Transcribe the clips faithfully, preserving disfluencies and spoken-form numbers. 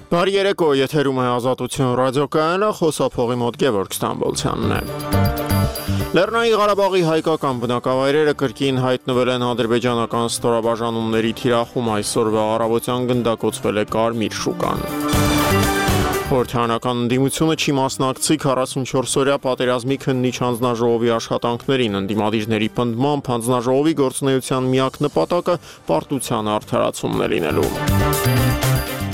Բարի երեկո, եթերում է Ազատություն ռադիոկայանը, խոսափողի մոտ Գևորգ Ստամբոլցյանն է։ Լեռնային Ղարաբաղի հայկական բնակավայրերը կրկին հայտնվել են ադրբեջանական ստորաբաժանումների թիրախում, այսօրվա առավոտյան գնդակոծվել է Կարմիր շուկան։ Խորհրդարանական ընդդիմությունը չի մասնակցի քառասունչորսօրյա պատերազմի քննիչ հանձնաժողովի աշխատանքներին, ընդդիմադիրների պնդմամբ հանձնաժողովի գործունեության միակ նպատակը պարտության արդարացումն է լինելու։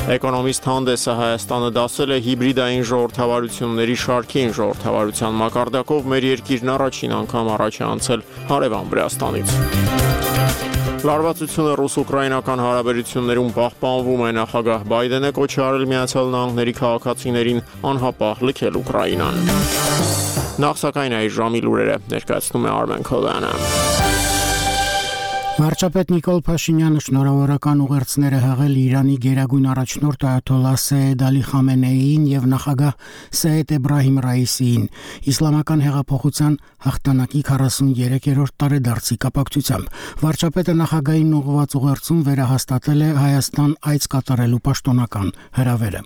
Էկոնոմիստ հանդեսը Հայաստանը դասել է հիբրիդային ժողովրդավարությունների շարքին, ժողովրդավարության մակարդակով մեր երկիրն առաջին անգամ առաջ է անցել հարևան Վրաստանից։ Լարվածությունը ռուս-ուկրաինական հարաբերություններում պահպանվում է, նախագահ Բայդենը կոչ է արել Միացյալ Նահանգների քաղաքացիներին անհապաղ լքել Ուկրաինան։ Նախ սակայն այս ժամի լուրերը ներկայացնում է Արմեն Քոյանը։ Վարչապետ Նիկոլ Փաշինյանը շնորհավորական ուղերձներ է հղել Իրանի գերագույն առաջնորդ Այաթոլլահ Սեյեդ Ալի Խամենեիին եւ նախագահ Սեյեդ Էբրահիմ Ռայիսիին իսլամական հեղափոխության հաղթանակի քառասուներեքերորդ տարեդարձի կապակցությամբ։ Վարչապետը նախագահային ուղղված ուղերձում վերահաստատել է Հայաստան այց կատարելու պաշտոնական հրավերը։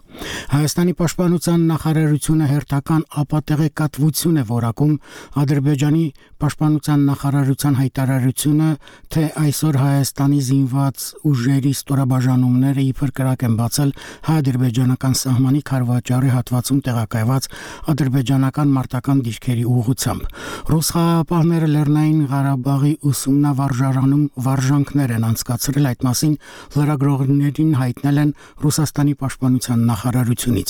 Հայաստանի պաշտպանության նախարարությունը հերթական ապատեղեկատվություն է որակում Ադրբեջանի պաշտպանության նախարարության հայտարարությունը, թե այսօր Հայաստանի զինված ուժերի ստորաբաժանումները իբր կրակ են բացել հայ-ադրբեջանական սահմանի Քարվաճարի հատվածում տեղակայված ադրբեջանական մարտական դիրքերի ուղղությամբ։ Ռուս խաղաղապահները Լեռնային Ղարաբաղի ուսումնավարժարանում վարժանքներ են անցկացրել, այդ մասին լրագրողներին հայտնել են Ռուսաստանի պաշտպանության նախարարությունից։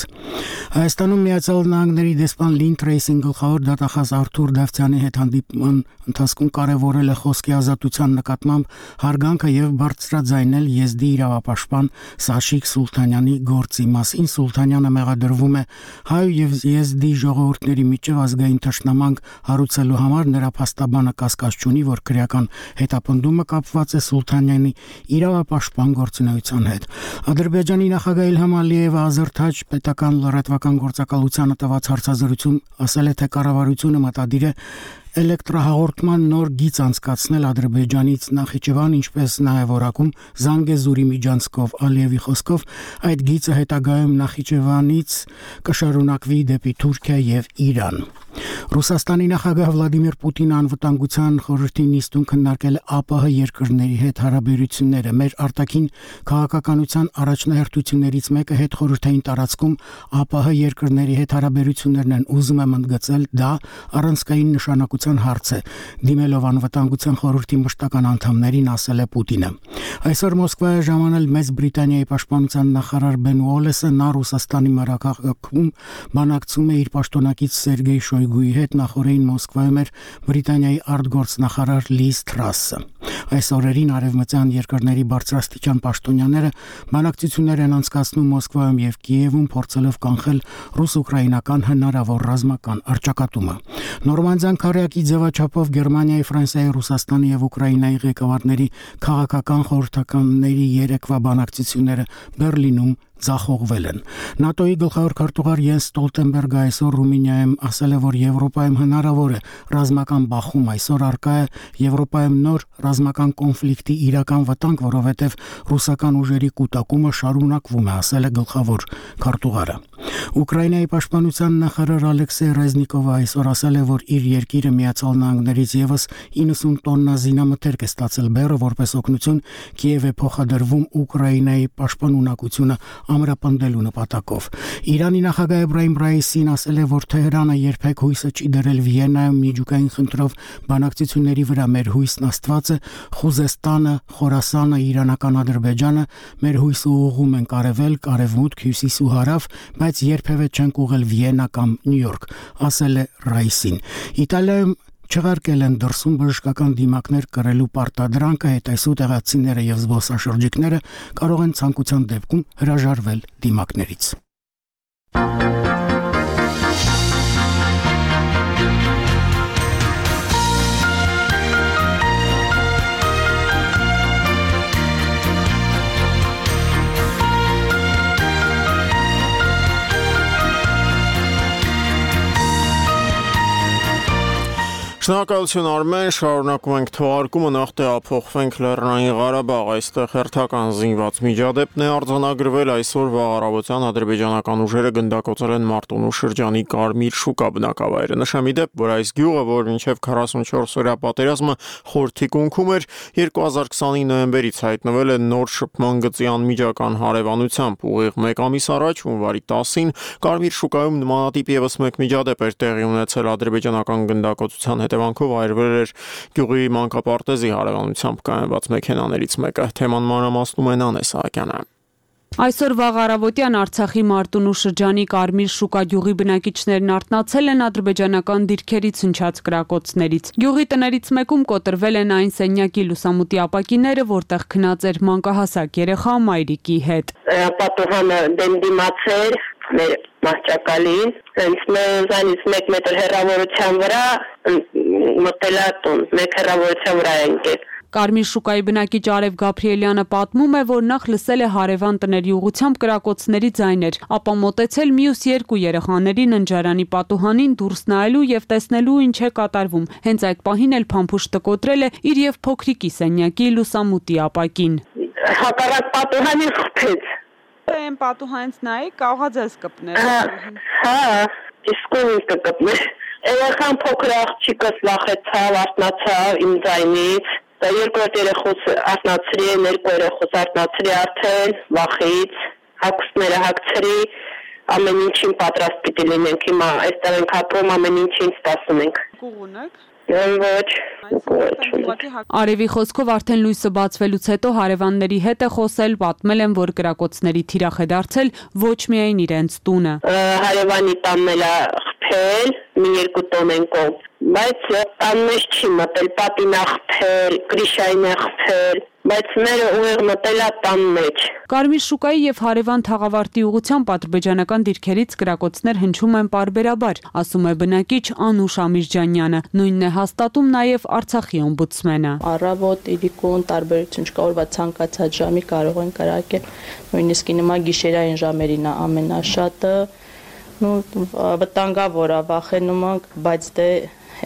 Հայաստանում Միացյալ Նահանգների դեսպան Լին Թրեյսին գլխավոր դատախազ Արթուր Դավթյանի հետ հանդիպման ընթացքում կարևորել է խոսքի ազատության նկատմամբ հարգանքը եւ բարձրաձայնել Եզդի իրավապաշտպան Սաշիկ Սուլթանյանի գործի մասին։ Սուլթանյանը մեղադրվում է հայ եւ Եզդի ժողովուրդների միջև ազգային թշնամանք հարուցելու համար, նրա փաստաբանը կասկած չունի, որ քրեական հետապնդումը կապված է Սուլթանյանի իրավապաշտպան գործունեության հետ։ Ադրբեջանի նախագահ Իլհամ Ալիևը Ազերթաջ պետական լրատվական գործակալությանը տված հարցազրույցում ասել է, թե կառավարությունը մտադիր է էլեկտրահաղորդման նոր գիծ անցկացնել Ադրբեջանից Նախիջևան, ինչպես նաև որակում Զանգեզուրի միջանցքով։ Ալիևի խոսքով այդ գիծը հետագայում Նախիջևանից կշարունակվի դեպի Թուրքիա եւ Իրան։ Ռուսաստանի նախագահ Վլադիմիր Պուտինը անվտանգության խորհրդի նիստում քննարկել է ԱՊՀ երկրների հետ հարաբերությունները։ Մեր արտաքին քաղաքականության առաջնահերթություններից մեկը հետխորհրդային տարածքում ԱՊՀ երկրների հետ հարաբերություններն են, ուզում եմ ընդգծել, դա առանցքային նշանակության հարց է, դիմելով անվտանգության խորհրդի մշտական անդամներին, ասել է Պուտինը։ Այսօր Մոսկվա է ժամանել Մեծ Բրիտանիայի պաշտպանության նախարար Բեն Ուոլեսը, նա Ռուսաստանի մայրաքաղաքում բանակցում է իր պաշտոնակից Սերգեյ Շոյգուի հետ, նախորդին Մոսկվայում էր Բրիտանիայի արտգործնախարար Լիզ Թրասը։ Այս օրերին արևմտյան երկրների բարձրաստիճան պաշտոնյաները բանակցություններ են անցկացնում Մոսկվայում եւ Կիևում, փորձելով կանխել ռուս-ուկրաինական հնարավոր ռազմական առճակատումը։ Նորմանդիան քարյակի ձևաչափով Գերմանիայի, Ֆրանսիայի, Ռուսաստանի եւ Ուկրաինայի ղեկավարների քաղաքական խորհրդականների երեկվա բանակցությունները Բերլինում ձախողվել են։ ՆԱՏՕ-ի գլխավոր քարտուղար Յենս Ստոլտենբերգը այսօր Ռումինիայում ասել է, որ Եվրոպայում հնարավոր է ռազմական բախում, այսօր առկա է Եվրոպայում նոր ռազմական կոնֆլիկտի իրական վտանգ, որովհետև ռուսական ուժերի կուտակումը շարունակվում է, ասել է գլխավոր քարտուղարը։ Ուկրաինայի պաշտպանության նախարար Ալեքսեյ Ռեզնիկովը այսօր ասել է, որ իր երկիրը Միացյալ Նահանգներից եւս իննսուն տոննա զինամթերք է ստացել բեռը, որպես օգնություն Կիև է փոխադրվում Ուկրաինայի պաշտպանունակությունը ամրապնդելու նպատակով։ Իրանի նախագահ Էբրահիմ Ռայիսին ասել է, որ Թեհրանը երբեք հույսը չի դրել Վիեննայում միջուկային խնդրով բանակցությունների վրա։ Մեր հույսն Աստված է, Խուզեստանը, Խորասանը, Իրանական Ադրբեջանը մեր հույսը ուղղում են արևել, արևմուտք, հյուսիս ու հարավ, բայց երբևէ չենք ուղղել Վիեննա կամ Նյու Յորք, ասել է Ռայիսին։ Իտալիայում չեղարկել են դրսում բժշկական դիմակներ կրելու պարտադրանքը, հետայսու տեղացիները եւ զբոսաշրջիկները կարող են ցանկության դեպքում հրաժարվել դիմակներից։ Շնորհակալություն Արմեն, շարունակում ենք թողարկումը, նախ տեղափոխվենք Լեռնային Ղարաբաղ, այստեղ հերթական զինված միջադեպն է արձանագրվել այսօր վաղ առավոտյան ադրբեջանական ուժերը գնդակոծել են Մարտունու շրջանի Կարմիր շուկա բնակավայրը։ Նշեմ ի դեպ, որ այս գյուղը, որ մինչև քառասունչորս օրյա պատերազմը խորթի կունքում էր, երկու հազար քսանինը նոյեմբերից հայտնվել է նոր շփման գծի անմիջական հարևանությամբ, ուղիղ մեկ ամիս առաջ հունվարի տասին Կարմիր շուկայում նմանատիպ ևս մեկ միջադեպ էր տեղի ունեցել ադրբեջանական գնդակոծության հետևանքով այրվել էր գյուղի մանկապարտեզի հարևանությամբ կայանված մեքենաներից մեկը։ Թեման մանրամասնում է Նանե Սահակյանը։ Այսօր վաղ առավոտյան Արցախի Մարտունու շրջանի Կարմիր շուկա գյուղի բնակիչներն արթնացել են ադրբեջանական դիրքերից հնչած կրակոցներից։ Գյուղի տներից մեկում կոտրվել են այն սենյակի լուսամուտի ապակիները, որտեղ քնած էր մանկահասակ երեխա մայրիկի հետ։ Պատուհանը դեմ դիմացեր մեր մահճակալին, հենց մեզանից մեկ մետր հեռավորության վրա մտել է տուն, մեկ հեռավորության վրա ընկել։ Կարմիր շուկայի բնակիչ Արև Գաբրիելյանը պատմում է, որ նախ լսել է հարևան տների ուղղությամբ կրակոցների ձայներ, ապա մոտեցել մյուս երկու երեխաների ննջարանի պատուհանին դուրս նայելու եւ տեսնելու ինչ է կատարվում։ Հենց այդ պահին էլ փամփուշտը կոտրել է իր եւ փոքրիկի սենյակի լուսամուտի ապակին։ Հակառակ պատուհանին խփեց։ Այն պատուհանից նայի կարողա ձեզ կպներ։ Հա, իսկ ո՞ւմ կպներ։ Երեխան փոքր աղջիկս վախեցավ, արթնացավ իմ ձայնից։ Դա երկրորդ երեխուց արթնացրի, երկու երեխուց արթնացրի արդեն վախից, հագուստները հագցրի, ամեն ինչին պատրաստ պիտի լինենք, հիմա այստեղ ենք ապրում, ամեն ինչին սպասում ենք։ Կուղուն եք։ Ոչ, Արևի խոսքով արդեն լույսը բացվելուց հետո հարևանների հետ է խոսել, պատմել են, որ կրակոցների թիրախ է դարձել ոչ միայն իրենց տունը։ Հարևանի տանն էլ խփել, մի երկու տոն են կողմ, բայց տան մեջ չի մտել, պատին է խփել, գրիշային է խփել, բայց մերը ուղիղ մտել է տան մեջ։ Կարմիր շուկայի եւ հարևան Թաղավարտի ուղղությամբ ադրբեջանական դիրքերից կրակոցներ հնչում են պարբերաբար, ասում է բնակիչ Անուշ Ամիրջանյանը, նույնն է հաստատում նաեւ Արցախի օմբուդսմենը։ Առավոտ, իրիկուն տարբերություն չկա, օրվա ցանկացած ժամի կարող են կրակել, նույնիսկ նման գիշերային ժամերին է ամենաշատը, նու վտանգավոր է, վախենում ենք, բայց դե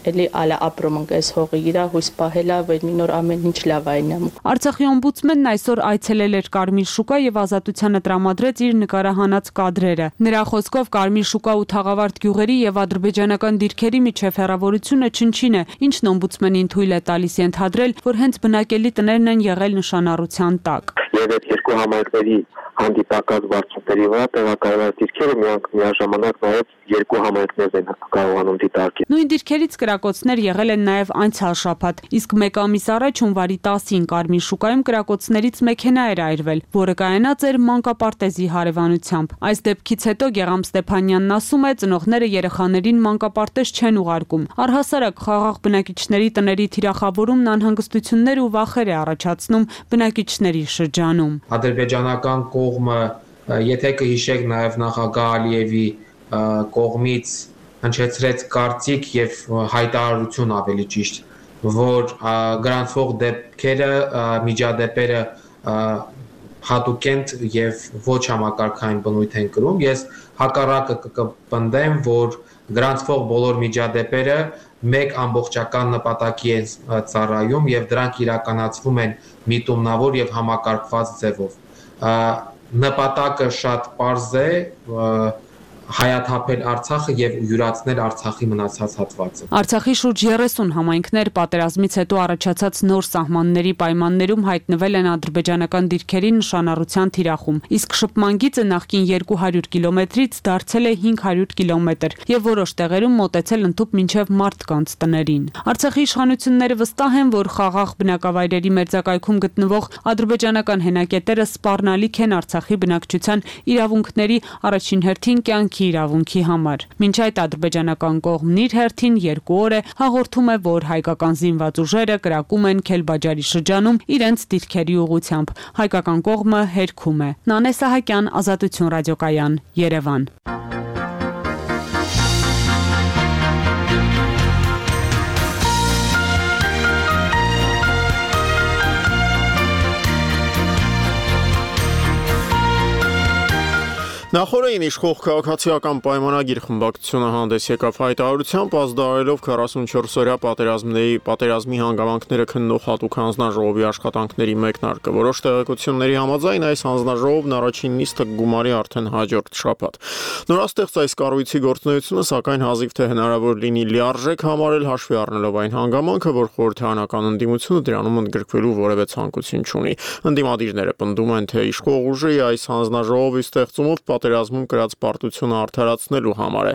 էլի ալա ապրում ենք այս հողի իրա հույս պահելա, որ մի նոր ամեն ինչ լավ այնա։ Արցախի օմբուդսմենն այսօր այցելել էր Կարմիր շուկա եւ ազատությանը տրամադրեց իր նկարահանած կադրերը։ Նրա խոսքով Կարմիր շուկա ու Թաղավարտ գյուղերի եւ ադրբեջանական դիրքերի միջև հեռավորությունը չնչին է, ինչն օմբուդսմենին թույլ է տալիս ենթադրել, որ հենց բնակելի տներն են եղել նշանառության տակ։ Եվ այդ երկու համայնքների հանդիպակաց վարչությունների վրա տեղակայված դիրքերը միանգ միաժամանակ նաև երկու համայնքներ են կարողանում դիտարկել։ Նույն դիրքերից կրակոցներ եղել են նաև անցյալ շաբաթ, իսկ մեկ ամիս առաջ հունվարի տասին Կարմիր շուկայում կրակոցներից մեքենա էր այրվել, որը կայանած էր մանկապարտեզի հարևանությամբ։ Այս դեպքից հետո Գեղամ Ստեփանյանն ասում է, ծնողները երեխաներին մանկապարտեզ չեն ուղարկում։ Առհասարակ խաղաղ բնակիչների տների թիրախավորումն անհանգստություններ ու վախեր է առաջացնում բնակիչների շրջանում։ Ադրբեջանական կողմը, եթե կհիշեք նաև նախագահ Ալիևի կողմից հնչեցրեց կարծիք եւ հայտարարություն ավելի ճիշտ, որ գրանցվող դեպքերը, միջադեպերը հատուկենտ եւ ոչ համակարգային բնույթ են կրում։ Ես հակառակը կպնդեմ, որ գրանցվող բոլոր միջադեպերը մեկ ամբողջական նպատակի են ծառայում եւ դրանք իրականացվում են միտումնավոր եւ համակարգված ձևով։ Նպատակը շատ պարզ է, հայաթափել Արցախը եւ յուրացնել Արցախի մնացած հատվածը։ Արցախի շուրջ երեսուն համայնքներ պատերազմից հետո առաջացած նոր սահմանների պայմաններում հայտնվել են ադրբեջանական դիրքերի նշանառության թիրախում, իսկ շփման գիծը նախկին երկու հարյուր կիլոմետրից դարձել է հինգ հարյուր կիլոմետր եւ որոշ տեղերում մոտեցել ընդհուպ մինչեւ մարդկանց տներին։ Արցախի իշխանությունները վստահ են, որ խաղաղ բնակավայրերի մերձակայքում գտնվող ադրբեջանական հենակետերը սպառնալիք են Արցախի բնակչության իրավունքների առաջին հերթին կյանքի իրավունքի համար։ Մինչ այդ ադրբեջանական կողմն իր հերթին երկու օր է հաղորդում է, որ հայկական զինված ուժերը կրակում են Քելբաջարի շրջանում իրենց դիրքերի ուղղությամբ։ Հայկական կողմը հերքում է։ Նանե Սահակյան, Ազատություն ռադիոկայան, Երևան։ Նախորդին իշխող քաղաքացիական պայմանագիր խմբակցությունը հանդես եկավ հայտարարությամբ, ազդարելով քառասունչորս օրյա պատերազմների պատերազմի հանգամանքները քննող հատուկ հանձնաժողովի աշխատանքների մեկնարկը։ Որոշ տեղեկությունների համաձայն այս հանձնաժողովն առաջին նիստը կգումարի արդեն հաջորդ շաբաթ։ Նորաստեղծ այս կառույցի գործունեությունը, սակայն հազիվ թե հնարավոր լինի լիարժեք համարել, հաշվի առնելով այն հանգամանքը, որ խորհրդարանական ընդդիմությունը դրանում ընդգրկվելու որևէ ցանկություն չունի։ Ընդդիմադիրները պնդում են, թե իշխող ուժի այս հանձնաժողովի ստեղծումով պատերազմում կրած պարտությունը արդարացնելու համար է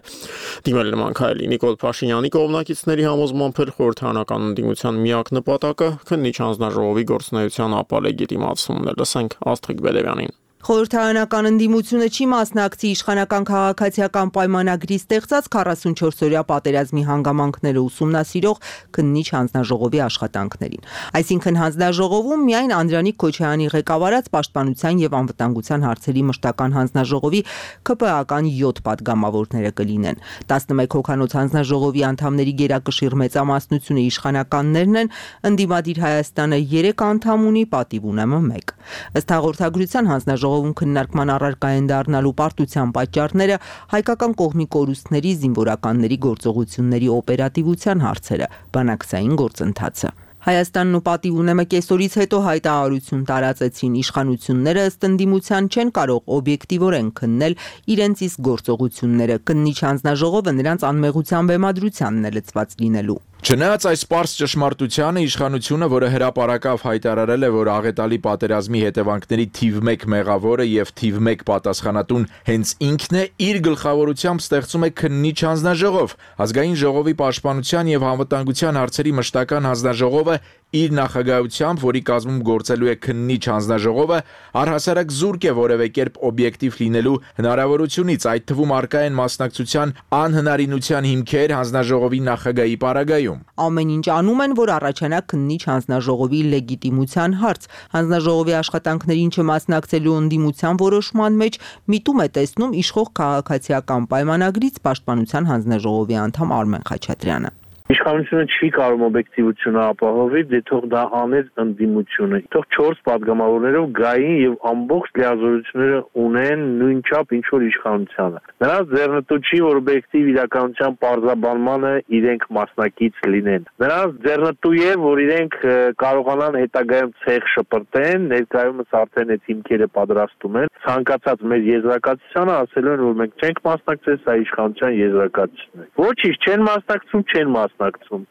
դիմել նման քայլի։ Նիկոլ Փաշինյանի կողմնակիցների համոզմամբ էլ խորհրդարանական ընդդիմության միակ նպատակը քննիչ հանձնաժողովի գործունեության ապալեգիտիմացումն է։ Լսենք Աստղիկ Բեդևյանին։ Խորհրդարանական ընդդիմությունը չի մասնակցի իշխանական քաղաքացիական պայմանագրի ստեղծած քառասունչորս օրյա պատերազմի հանգամանքները ուսումնասիրող քննիչ հանձնաժողովի աշխատանքներին։ Այսինքն հանձնաժողովում միայն Անդրանիկ Քոչարյանի ղեկավարած Պաշտպանության եւ անվտանգության հարցերի մշտական հանձնաժողովի ՔՊԱ-ական յոթ падգամավորները կլինեն։ տասնմեկ հոգանոց հանձնաժողովի անդամների գերակշիռ մեծամասնությունը իշխանականներն են, ընդդիմադիր Հայաստանը երեք անդամ ունի, պատիվ ունեմը մեկ։ Ըստ հաղորդագրության հանձնաժողովում քննարկման առարկա են դառնալու պարտության պատճառները, հայկական կողմի կորուստների, զինվորականների գործողությունների օպերատիվության հարցերը, բանակցային գործընթացը։ Հայաստանն ու պատիվ ունեմը կեսօրից հետո հայտարարություն տարածեցին, իշխանությունները ըստ ընդդիմության չեն կարող օբյեկտիվորեն քննել իրենց իսկ գործողությունները, քննիչ հանձնաժողովը նրանց անմեղության բեմադրությանն է լծված լինելու։ Չնայած այս պարզ ճշմարտությանը, իշխանությունը, որը հրապարակավ հայտարարել է, որ աղետալի պատերազմի հետևանքների թիվ մեկ մեղավորը եւ թիվ մեկ պատասխանատուն հենց ինքն է, իր գլխավորությամբ ստեղծում է քննիչ հանձնաժողով։ Ազգային ժողովի պաշտպանության եւ անվտանգության հարցերի մշտական հանձնաժողովը իր նախագահությամբ, որի կազմում գործելու է քննիչ հանձնաժողովը, առհասարակ զուրկ է որևէ կերպ օբյեկտիվ լինելու հնարավորությունից, այդ թվում առկա են մասնակցության անհնարինության հիմքեր հանձնաժողովի նախագահի պարագայում։ Ամեն ինչ անում են, որ առաջանա քննիչ հանձնաժողովի լեգիտիմության հարց։ Հանձնաժողովի աշխատանքներին չմասնակցելու ընդդիմության որոշման մեջ միտում է տեսնում իշխող քաղաքացիական պայմանագրից Պաշտպանության հանձնաժողովի անդամ Արմեն Խաչատրյանը։ Իշխանությունը չի կարող օբյեկտիվությունը ապահովել, դե թող դա աներ ընդդիմությունը։ Թող չորս падգամավորներով գային եւ ամբողջ լիազորությունները ունեն նույնչափ ինչ որ իշխանությանը։ Նրանց ձեռնտու չի, որ օբյեկտիվ իրականության պարզաբանմանը իրենք մասնակից լինեն։ Նրանց ձեռնտու է, որ իրենք կարողանան հետագայում ցեղ շպրտեն, ներկայումս արդեն այդ հիմքերը պատրաստում են։ Ցանկացած մեր եզրակացությանը ասելու են, որ մենք չենք մասնակցել, սա իշխանության եզրակացությունն է։ Ոչինչ չեն մասնակցում, չեն մասնակցում։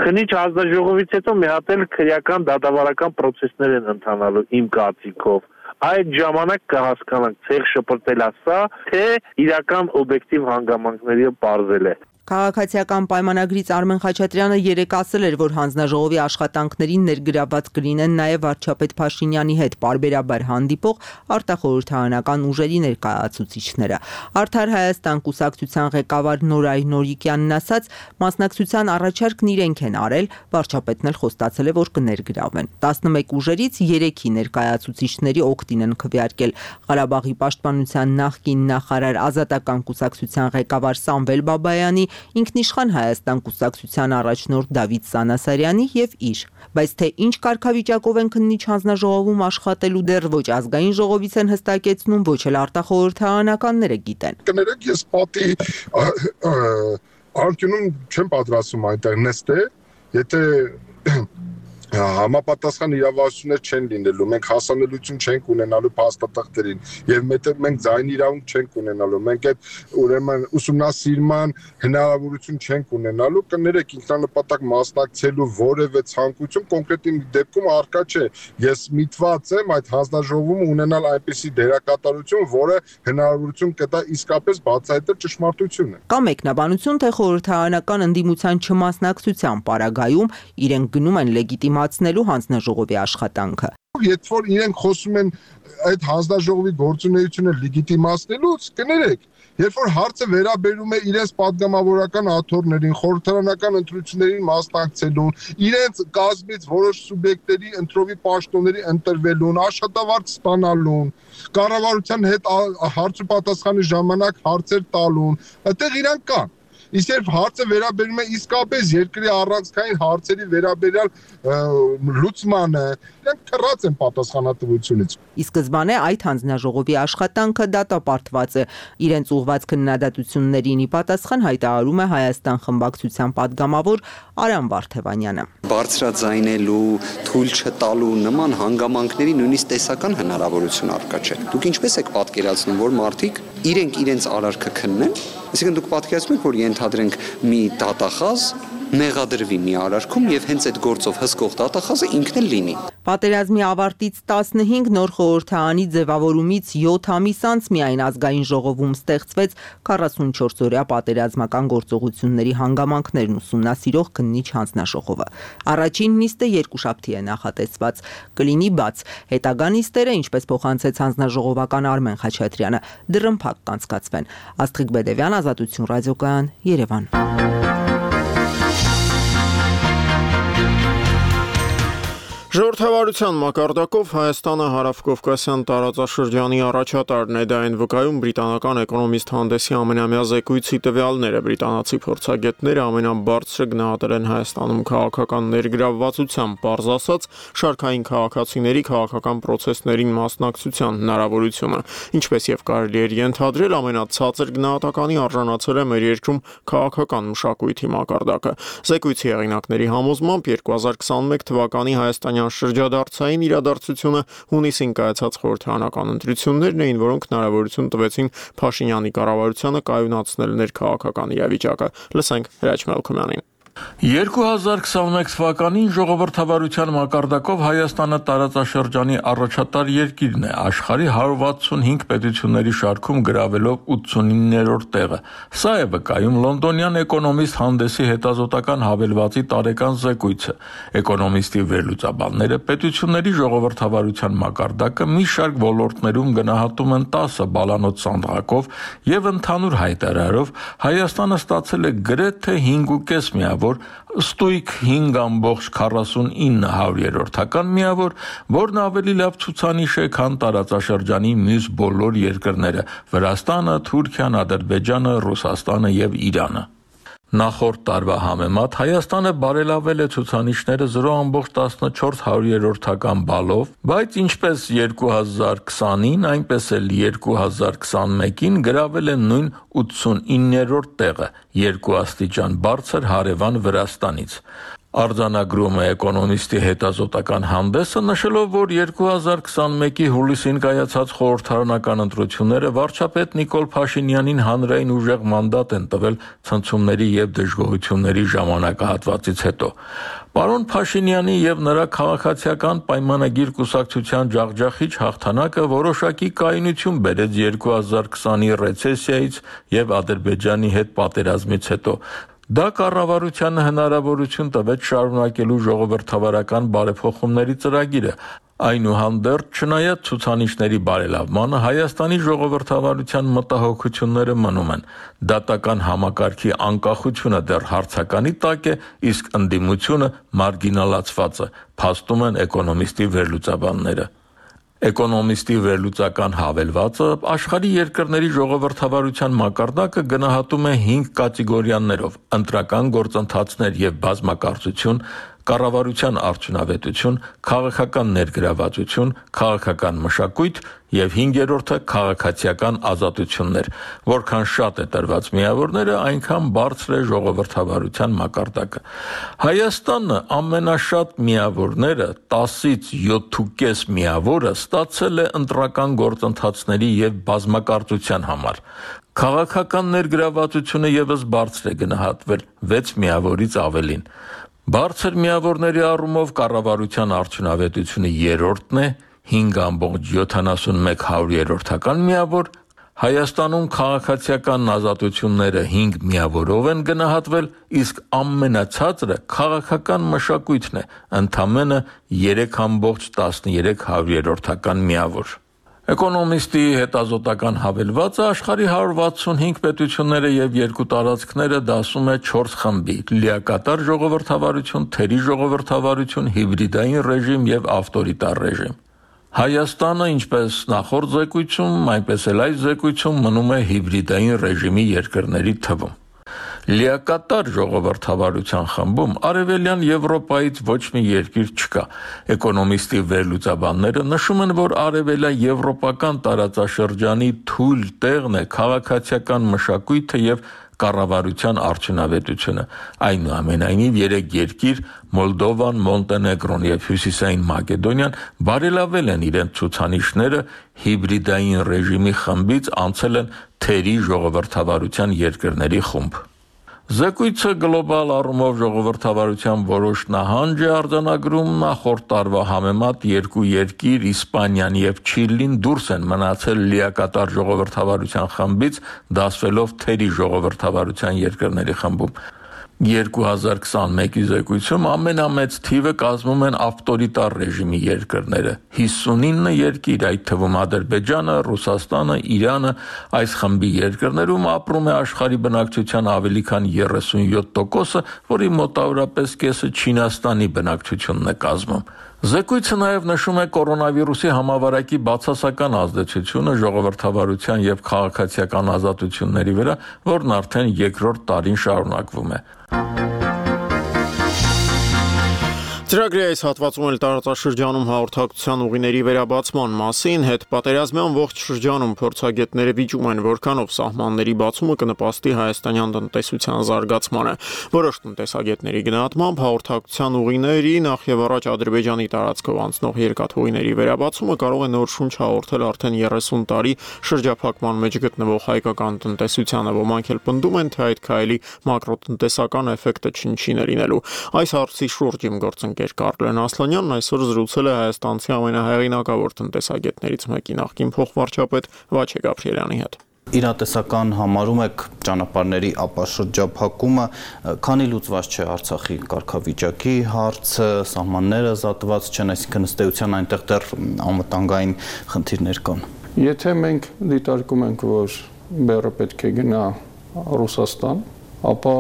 Քննիչ հանձնաժողովից հետո մի հատ էլ քրեական դատավարական process-ներ են ընթանալու իմ կարծիքով։ Այդ ժամանակ կհասկանանք ցեղ շպրտել ասա, թե իրական օբյեկտիվ հանգամանքները բարձել է։ Քաղաքացիական պայմանագրից Արմեն Խաչատրյանը երեկ ասել էր, որ հանձնաժողովի աշխատանքներին ներգրաված կլինեն նաև վարչապետ Փաշինյանի հետ պարբերաբար հանդիպող արտախորհրդարանական ուժերի ներկայացուցիչները։ Արդար Հայաստան կուսակցության ղեկավար Նորայր Նորիկյանն ասաց, մասնակցության առաջարկն իրենք են արել, վարչապետն էլ խոստացել է, որ կներգրավեն։ տասնմեկ ուժերից երեքի ներկայացուցիչների օգտին են քվեարկել Ղարաբաղի պաշտպանության նախկին նախարար Ազատական կուսակցության ղեկավար Սամվել Բաբայանի, ինքնիշխան Հայաստան կուսակցության առաջնորդ Դավիթ Սանասարյանի եւ իր, բայց թե ինչ կարգավիճակով են քննիչ հանձնաժողովում աշխատելու դեռ ոչ ազգային ժողովից են հստակեցնում, ոչ էլ արտախորհրդարանականները գիտեն։ Կներեք, ես պատի անկյունում չեմ պատրաստում այնտեղ նստել, եթե համապատասխան իրավասություններ չեն լինելու, մենք հասանելիություն չենք ունենալու փաստաթղթերին եւ մենք ձայնի իրավունք չենք ունենալու, մենք այդ ուրեմն ուսումնասիրման հնարավորություն չենք ունենալու, կներեք ինքնանպատակ մասնակցելու որևէ ցանկություն կոնկրետ դեպքում առկա չէ։ Ես միտված եմ այդ հանձնաժողովում ունենալ այնպիսի դերակատարություն, որը հնարավորություն կտա իսկապես բացահայտել ճշմարտությունը։ Կա մեկնաբանություն, թե խորհրդարանական ընդդիմության չմասնակցության պարագայում իրենք գնում են լեգիտիմ մացնելու հանձնաժողովի աշխատանքը։ Երբ որ իրենք խոսում են այդ հանձնաժողովի գործունեությունը լեգիտիմացնելուց, կներեք, երբ որ հարցը վերաբերում է իրենց падգամավորական աթոռներին, խորհրդարանական ընտրություններին մասնակցելուն, իրենց կազմից որոշ սուբյեկտների ընտրովի պաշտոնների ընտրվելուն, աշխատավարձ ստանալուն, կառավարության հետ հարց ու պատասխանի ժամանակ հարցեր տալուն, այդտեղ իրանք կան։ Իսկ երբ հարցը վերաբերում է իսկապես երկրի առանցքային հարցերի վերաբերյալ լուծմանը, իրենք քռած են պատասխանատվությունից։ Ի սկզբանե այդ հանձնաժողովի աշխատանքը դատապարտված է։ Իրենց ուղղված քննադատություններին ի պատասխան հայտարարում է Հայաստան խմբակցության падգամավոր Արամ Վարդևանյանը։ Բարձրաձայնելու, թույլ չտալու նման հանգամանքների նույնիսկ տեսական հնարավորություն առկա չէ։ Դուք ինչպես եք պատկերացնում, որ մարդիկ իրենք իրենց արարքը քննեն, այսինքն դուք պատկերացնում եք, որ ենթադրենք մի դատախազ մեղադրվի մի արարքում եւ հենց այդ գործով հսկող դատախազը ինքն էլ լինի։ Պատերազմի ավարտից տասնհինգ նոր խորհրդարանի ձևավորումից յոթ ամիս անց միայն ազգային ժողովում ստեղծվեց քառասունչորս-օրյա պատերազմական գործողությունների հանգամանքներն ուսումնասիրող քննիչ հանձնաժողովը։ Առաջին նիստը երկուշաբթի է նախատեսված, կլինի բաց։ Հետագա նիստերը, ինչպես փոխանցեց հանձնաժողովական Արմեն Խաչատրյանը, դռնփակ կանցկացվեն։ Աստղիկ Բեդևյան, Ազատություն ռադիոկայան, Երևան։ Ժողովրդավարության մակարդակով Հայաստանը հարավկովկասյան տարածաշրջանի առաջատարն է, դա այն վկայում բրիտանական էկոնոմիստ հանդեսի ամենամյա զեկույցի տվյալները։ Բրիտանացի փորձագետները ամենաբարձրը գնահատել են Հայաստանում քաղաքական ներգրավվածության, պարզ ասած, շարքային քաղաքացիների քաղաքական պրոցեսներին մասնակցության հնարավորությունը, ինչպես եւ կարելի էր ենթադրել, ամենացածր գնահատականի արժանացել է մեր երկրում քաղաքական մշակույթի մակարդակը։ Զեկույցի հեղինակների համոզմամբ երկու հազար քսանմեկ թվականի Հայաստանի շրջադարձային իրադարձությունը հունիսին կայացած խորհրդարանական ընտրություններն էին, որոնք հնարավորություն տվեցին Փաշինյանի կառավարությանը կայունացնել ներքաղաքական իրավիճակը։ Լսենք Հրաչ Մելքումյանին։ երկու հազար քսանմեկ թվականին ժողովրդավարության մակարդակով Հայաստանը տարածաշրջանի առաջատար երկիրն է, աշխարհի հարյուր վաթսունհինգ պետությունների շարքում գրավելով ութսունիններորդ տեղը։ Սա է վկայում լոնդոնյան էկոնոմիստ հանդեսի հետազոտական հավելվածի տարեկան զեկույցը։ Էկոնոմիստի վերլուծաբանները պետությունների ժողովրդավարության մակարդակը մի շարք ոլորտներում գնահատում են տասը բալանոց սանդղակով եւ ընդհանուր հայտարարով Հայաստանը ստացել է գրեթե հինգ ու կես միավոր ստույգ հինգ ամբողջ քառասունինը հարյուրերորդական միավոր, որն ավելի լավ ցուցանիշ է, քան տարածաշրջանի մյուս բոլոր երկրները՝ Վրաստանը, Թուրքիան, Ադրբեջանը, Ռուսաստանը եւ Իրանը։ Նախորդ տարվա համեմատ Հայաստանը բարելավել է ցուցանիշները զրո ամբողջ տասնչորս հարյուրերորդական բալով, բայց ինչպես երկու հազար քսանին, այնպես էլ երկու հազար քսանմեկին գրավել է նույն ութսունիններորդ տեղը, երկու աստիճան բարձր հարևան Վրաստանից։ Արձանագրում է էկոնոմիստի հետազոտական հանդեսը, նշելով, որ երկու հազար քսանմեկի հուլիսին կայացած խորհրդարանական ընտրությունները վարչապետ Նիկոլ Փաշինյանին հանրային ուժեղ մանդատ են տվել ցնցումների եւ դժգոհությունների ժամանակահատվածից հետո։ Պարոն Փաշինյանի եւ նրա քաղաքացիական պայմանագիր կուսակցության ջախջախիչ հաղթանակը որոշակի կայունություն բերեց երկու հազար քսանի ռեցեսիայից եւ Ադրբեջանի հետ պատերազմից հետո։ Դա կառավարությանը հնարավորություն տվեց շարունակելու ժողովրդավարական բարեփոխումների ծրագիրը։ Այնուհանդերձ, չնայած ցուցանիշների բարելավմանը, Հայաստանի ժողովրդավարության մտահոգությունները մնում են։ Դատական համակարգի անկախությունը դեռ հարցականի տակ է, իսկ ընդդիմությունը մարգինալացված է, փաստում են էկոնոմիստի վերլուծաբանները։ Էկոնոմիստի վերլուծական հավելվածը աշխարհի երկրների ժողովրդավարության մակարդակը գնահատում է հինգ կատեգորիաներով՝ ընտրական գործընթացներ եւ բազմակարծություն, կառավարության արդյունավետություն, քաղաքական ներգրավվածություն, քաղաքական մշակույթ եւ հինգերորդը քաղաքացիական ազատություններ։ Որքան շատ է տրված միավորները, այնքան բարձր է ժողովրդավարության մակարդակը։ Հայաստանը ամենաշատ միավորները տասից յոթ ու կես միավորը ստացել է ընտրական գործընթացների եւ բազմակարծության համար։ Քաղաքական ներգրավվածությունը եւս բարձր է գնահատվել վեց միավորից ավելին։ Բարձր միավորների առումով կառավարության արդյունավետությունը երրորդն է, հինգ ամբողջ յոթանասունմեկ հարյուրերորդական միավոր, Հայաստանում քաղաքացիական ազատությունները հինգ միավորով են գնահատվել, իսկ ամենացածրը քաղաքական մշակույթն է, ընդամենը երեք ամբողջ տասներեք հարյուրերորդական միավոր։ Էկոնոմիստի հետազոտական հավելվածը աշխարհի հարյուր վաթսունհինգ պետությունները եւ երկու տարածքները դասում է չորս խմբի՝ լիակատար ժողովրդավարություն, թերի ժողովրդավարություն, հիբրիդային ռեժիմ եւ ավտորիտար ռեժիմ։ Հայաստանը, ինչպես նախորդ զեկույցում, այնպես էլ այս զեկույցում մնում է հիբրիդային ռեժիմի երկրների թվում։ Լիակատար ժողովրդավարության խմբում արևելյան Եվրոպայից ոչ մի երկիր չկա։ Էկոնոմիստի վերլուծաբանները նշում են, որ արևելյան եվրոպական տարածաշրջանի թույլ տեղն է քաղաքացիական մշակույթը եւ կառավարության արդյունավետությունը։ Այնուամենայնիվ երեք երկիր՝ Մոլդովան, Մոնտենեգրոն եւ Հյուսիսային Մակեդոնիան բարելավել են իրենց ցուցանիշները, հիբրիդային ռեժիմի խմբից անցել են թերի ժողովրդավարության երկրների խումբ։ Զեկույցը գլոբալ առումով ժողովրդավարության որոշ նահանջ է արձանագրում, նախորդ տարվա համեմատ երկու երկիր՝ Իսպանիան եւ Չիլին դուրս են մնացել լիակատար ժողովրդավարության խմբից, դասվելով թերի ժողովրդավարության երկրների խմբում։ երկու հազար քսանմեկի զեկույցում ամենամեծ թիվը կազմում են ավտորիտար ռեժիմի երկրները՝ հիսունինը երկիր, այդ թվում Ադրբեջանը, Ռուսաստանը, Իրանը։ Այս խմբի երկրներում ապրում է աշխարհի բնակչության ավելի քան երեսունյոթ տոկոսը, որի մոտավորապես կեսը Չինաստանի բնակչությունն է կազմում։ Զեկույցը նաև նշում է կորոնավիրուսի համավարակի բացասական ազդեցությունը ժողովրդավարության եւ քաղաքացիական ազատությունների վրա, որն արդեն երկրորդ տարին շարունակվում է։ Ծրագրի այս հատվածում էլ տարածաշրջանում հաղորդակցության ուղիների վերաբացման մասին հետ պատերազմյան ողջ շրջանում փորձագետները վիճում են, որքանով սահմանների բացումը կնպաստի հայաստանյան տնտեսության զարգացմանը։ Որոշ տնտեսագետների գնահատմամբ հաղորդակցության ուղիների, նախ եւ առաջ Ադրբեջանի տարածքով անցնող երկաթուղիների վերաբացումը կարող է նոր շունչ հաղորդել արդեն երեսուն տարի շրջափակման մեջ գտնվող հայկական տնտեսությանը։ Ոմանք էլ պնդում են, թե այդ քայլի մակրոտնտեսական էֆեկտը չնչին է լինելու։ Այս հարցի շուրջ իմ գործընկեր Կարլեն Ասլանյանն այսօր զրուցել է հայաստանցի ամենահեղինակավոր տնտեսագետներից մեկի նախկին փոխվարչապետ Վաչե Գաբրիելյանի հետ։ Իրատեսական համարում եք ճանապարհների ապաշրջափակումը, քանի լուծված չէ Արցախի կարգավիճակի հարցը, սահմանները զատված չեն, այսինքն ըստ էության այնտեղ դեռ անվտանգային խնդիրներ կան։ Եթե մենք դիտարկում ենք, որ բեռը պետք է գնա Ռուսաստան, ապա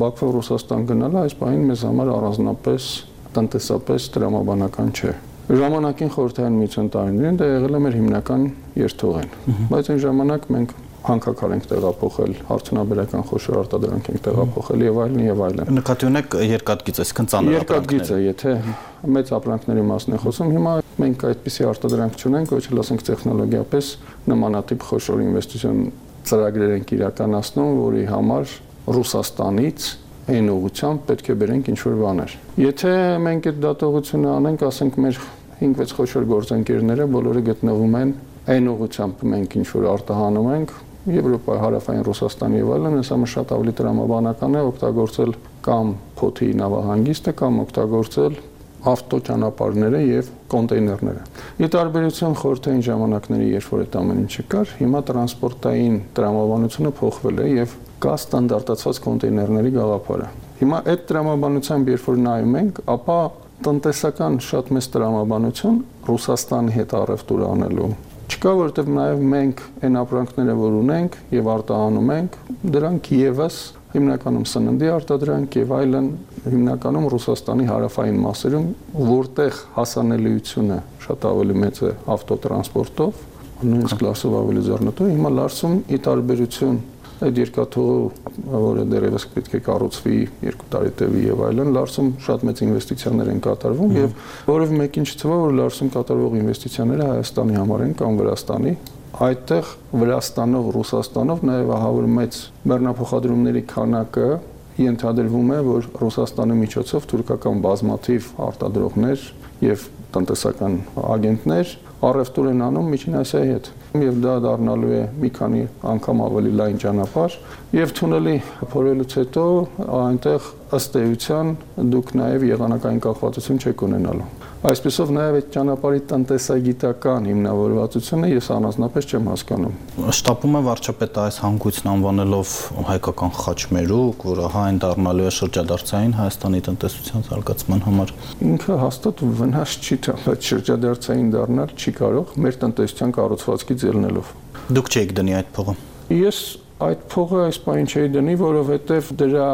Բաքվով Ռուսաստան գնալը այս պահին մեզ համար առանձնապես տնտեսապես տրամաբանական չէ։ Ժամանակին խորհրդային միության տարիներին դա եղել է մեր հիմնական երթուղին, բայց այն ժամանակ մենք հանքաքար ենք տեղափոխել, արդյունաբերական խոշոր արտադրանք ենք տեղափոխել եւ այլն եւ այլն։ Նկատի ունեք երկաթգիծ, այսինքն ծանր ապրանքներ։ Երկաթգիծը, եթե մեծ ապրանքների մասն է խոսում, հիմա մենք այդպիսի արտադրանք չունենք, ոչ էլ ասենք տեխնոլոգիապես նմանատիպ խոշոր ինվեստիցիոն ծրագրեր ենք իրականացնում, որի համար Ռուսաստանից այն ուղղությամբ պետք է բերենք ինչ-որ բաներ։ Եթե մենք այդ դատողությունը անենք, ասենք մեր հինգ-վեց խոշոր գործընկերները բոլորը գտնվում են այն ուղղությամբ մենք ինչ-որ արտահանում ենք, Եվրոպայի հարավային Ռուսաստան եւ այլն, այս ամը շատ ավելի տրամաբանական է օգտագործել կամ փոթի նավահանգիստը կամ օգտագործել ավտոճանապարհները եւ կոնտեյներները։ Ի տարբերություն խորհրդային ժամանակների, երբ որ այդ ամեն ինչը կար, հիմա տրանսպորտային տրամաբանությունը փոխվել է եւ կա ստանդարտացված կոնտեյներների գաղափարը։ Հիմա այդ տրամաբանությամբ երբ որ նայում ենք, ապա տնտեսական շատ մեծ տրամաբանություն Ռուսաստանի հետ առևտուր անելու չկա, որովհետեւ նաեւ մենք այն ապրանքները, որ ունենք եւ արտահանում ենք, դրանք եւս հիմնականում սննդի արտադրանք եւ այլն, հիմնականում Ռուսաստանի հարավային մասերում, որտեղ հասանելիությունը շատ ավելի մեծ է ավտոտրանսպորտով, նույնիսկ լարսով ավելի ձեռնտու, հիմա լարսում ի տարբերություն այդ երկաթուղու, որը դեռևս պետք է կառուցվի երկու տարի տևի եւ այլն, լարսում շատ մեծ ինվեստիցիաներ են կատարվում եւ որով մեկին չթվա, որ լարսում կատարվող ինվեստիցիաները Հայաստանի համար են կամ Վրաստանի, այդտեղ Վրաստանով, Ռուսաստանով նաեւ ահավոր մեծ բեռնափոխադրումների քանակը ենթադրվում է, որ Ռուսաստանի միջոցով թուրքական բազմաթիվ արտադրողներ եւ տնտեսական ագենտներ առևտուր են անում Միջին Ասիայի հետ եւ դա դառնալու է մի քանի անգամ ավելի լայն ճանապարհ եւ թունելի փորելուց հետո այնտեղ ըստ էության դուք նաեւ եղանակային կախվածություն չեք ունենալու։ Այսպեսով նաեւ այդ ճանապարհի տնտեսագիտական հիմնավորվածությունը ես առանձնապես չեմ հասկանում։ Շտապում է վարչապետը այս հանգույցն անվանելով հայկական խաչմերուկ, որը հայն դառնալու է շրջադարձային Հայաստանի տնտեսության զարգացման համար։ Ինքը հաստատ վնաս չի տա, բայց շրջադարձային դառնալ չի կարող մեր տնտեսության կառուցվածքից ելնելով։ Դուք չեք դնի այդ փողը։ Ես այդ փողը այս պահին չէի դնի, որովհետեւ դրա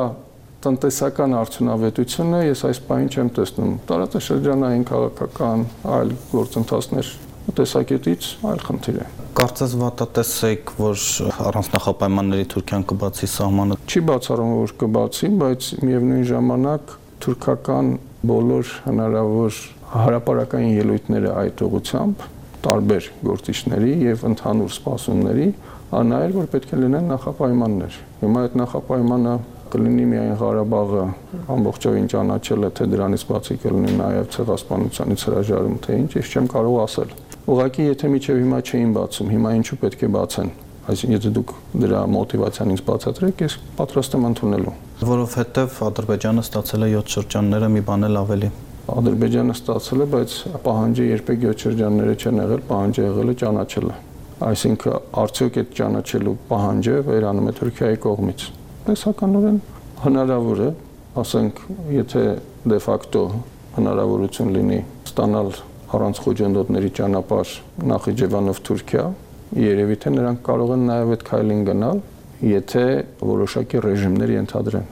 տնտեսական արդյունավետությունը ես այս պահին չեմ տեսնում։ Տարածաշրջանային քաղաքական այլ գործընթացներ տեսակետից այլ խնդիր է։ Կարծես վատատես եք, որ առանց նախապայմանների Թուրքիան կբացի սահմանը։ Չի բացառում, որ կբացի, բայց միևնույն ժամանակ թուրքական բոլոր հնարավոր հարաբերական ելույթները այդ ուղղությամբ տարբեր գործիչների եւ ընդհանուր սպասումների անայր, որ պետք է լինեն նախապայմաններ։ Հիմա այդ նախապայմանը կլինի միայն Ղարաբաղը ամբողջովին ճանաչելը, թե դրանից բացի կլինի նաև ցեղասպանությանից հրաժարում, թե ինչ, ես չեմ կարող ասել։ Ուղղակի եթե միջև հիմա չէին բացում, հիմա ինչու պետք է բացեն։ Այսինքն եթե դուք դրա մոտիվացիան ինձ բացատրեք, ես պատրաստ եմ ընդունելու։ Որովհետև Ադրբեջանը ստացել է յոթ շրջանները, մի բան էլ ավելի։ Ադրբեջանը ստացել է, բայց պահանջը երբեք յոթ շրջանները չեն եղել, պահանջը եղել է ճանաչելը։ Այսինքն արդյոք այդ ճանաչելու պահանջը վերանում է Թուրքիայի կողմից։ Տեսականորեն հնարավոր է, ասենք, եթե դե ֆակտո հնարավորություն լինի ստանալ առանց խոչընդոտների ճանապարհ Նախիջևանով Թուրքիա, երևի թե նրանք կարող են նաև այդ քայլին գնալ, եթե որոշակի ռեժիմներ ենթադրեն։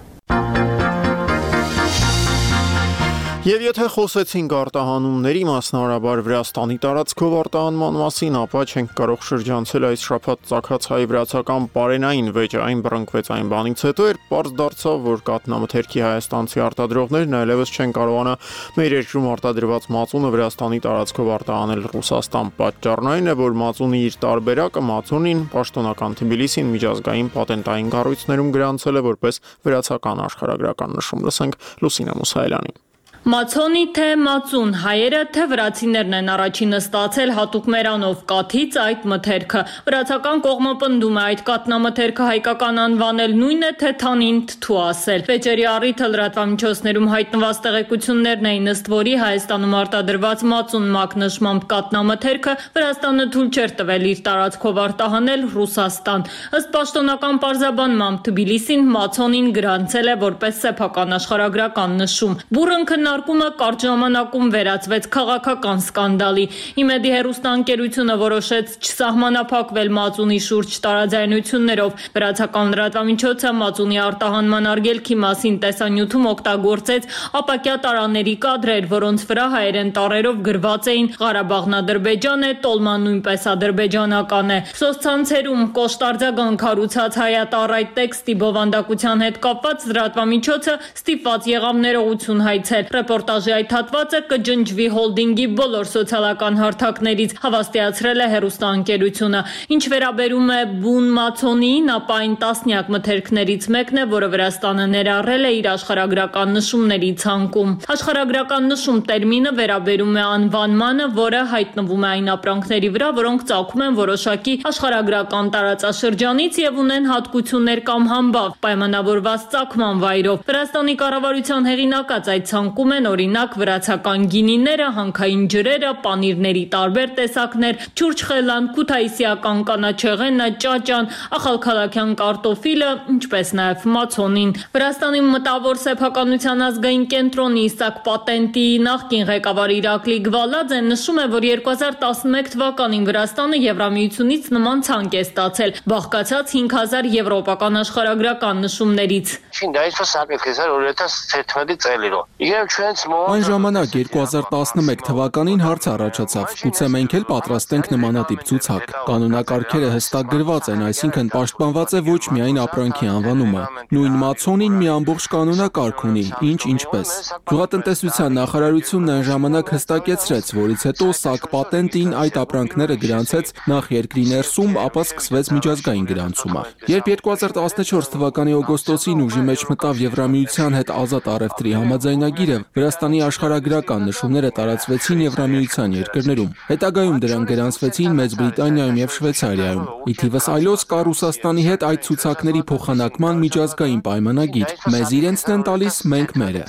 Եվ եթե խոսեցինք արտահանումների, մասնավորաբար Վրաստանի տարածքով արտահանման մասին, ապա չենք կարող շրջանցել այս շաբաթ ծագած հայ-վրացական պարենային վեճը, այն բռնկվեց այն բանից հետո, երբ պարզ դարձավ, որ կաթնամթերքի հայաստանցի արտադրողներն այլևս չեն կարողանա մեր երկրում արտադրված մածունը Վրաստանի տարածքով արտահանել Ռուսաստան։ Պատճառն այն է, որ մածունի իր տարբերակը մածունին պաշտոնական Թբիլիսին միջազգային պատենտային կառույցներում գրանցել է որպես վրացական աշխարհագրական նշում։ Լսենք Լուսինե Մուսայելյանին։ Մացոնի թե մածուն, հայերը թե վրացիներն են առաջինը ստացել հատուկ մերանով կաթից այդ մթերքը։ Վրացական կողմը պնդում է այդ կաթնամթերքը հայկական անվանել նույն է, թե թանին թթու ասել։ Վեճերի առիթը լրատվամիջոցներում հայտնված տեղեկություններն էին, ըստ որի Հայաստանում արտադրված մածուն մակնշմամբ կաթնամթերքը Վրաստանը թույլ չէր տվել իր տարածքով արտահանել Ռուսաստան։ Ըստ պաշտոնական պարզաբանմամբ Թբիլիսին մացոնին գրանցել է որպես սեփական աշխարհագրական նշում։ Բուռն քննարկումը կարճ ժամանակում վերածվեց քաղաքական սկանդալի։ Իմեդի հեռուստաընկերությունը որոշեց չսահմանափակվել մածունի շուրջ տարաձայնություններով։ Վրացական լրատվամիջոցը մածունի արտահանման արգելքի մասին տեսանյութում օգտագործեց ապակյա տարաների կադրեր, որոնց վրա հայերեն տառերով գրված էին Ղարաբաղն Ադրբեջան է, Տոլման նույնպես ադրբեջանական է։ Սոցցանցերում կոշտարձագանք հարուցած հայատառ այդ տեքստի բովանդակության հետ կապված լրատվամիջոցը ստիպված եղավ ներողություն հայցել։ Ռեպորտաժի այդ հատվածը կջնջվի հոլդինգի բոլոր սոցիալական հարթակներից, հավաստիացրել է հեռուստաընկերությունը։ Ինչ վերաբերում է բուն մացոնիին, ապա այն տասնյակ մթերքներից մեկն է, որը Վրաստանը ներառել է իր աշխարհագրական նշումների ցանկում։ Աշխարհագրական նշում տերմինը վերաբերում է անվանմանը, որը հայտնվում է այն ապրանքների վրա, որոնք ծագում են որոշակի աշխարհագրական տարածաշրջանից եւ ունեն հատկություններ կամ համբավ, պայմանավորված ծագման վայրով։ Վրաստանի կառավարության հեղինակած այդ ցանկում են օրինակ վրացական գինիները, հանքային ջրերը, պանիրների տարբեր տեսակներ, չուրչխելան, քութայիսիական կանաչեղենը, ճաճան, ախալքալաքյան կարտոֆիլը, ինչպես նաև մացոնին։ Վրաստանի մտավոր սեփականության ազգային կենտրոնի Իսակ պատենտի նախկին ղեկավար Իրակլի Գվալաձեն նշում է, որ երկու հազար տասնմեկ թվականին Վրաստանը Եվրամիությունից նման ցանկ է ստացել, բաղկացած հինգ հազար եվրոպական աշխարհագրական նշումներից։ Այն ժամանակ երկու հազար տասնմեկ թվականին հարց առաջացավ, գուցե մենք էլ պատրաստենք նմանատիպ ցուցակ։ Կանոնակարգերը հստակ գրված են, այսինքն պաշտպանված է ոչ միայն ապրանքի անվանումը։ Նույն մացոնին մի ամբողջ կանոնակարգ ունի, ինչ ինչպես։ Գյուղատնտեսության նախարարությունն այն ժամանակ հստակեցրեց, որից հետո ՍԱԿ պատենտին այդ ապրանքները գրանցեց նախ երկրի ներսում, ապա սկսվեց միջազգային գրանցումը։ Երբ երկու հազար տասնչորս թվականի օգոստոսին ուժի մեջ մտավ Եվրամիության հետ ազատ առևտրի համաձայնագիրը, Վրաստանի աշխարհագրական նշումները տարածվեցին Եվրամիության երկրներում։ Հետագայում դրանք գրանցվեցին Մեծ Բրիտանիայում եւ Շվեյցարիայում։ Ի թիվս այլոց կա Ռուսաստանի հետ այդ ցուցակների փոխանակման միջազգային պայմանագիր։ Մեզ իրենցն են տալիս, մենք մերը։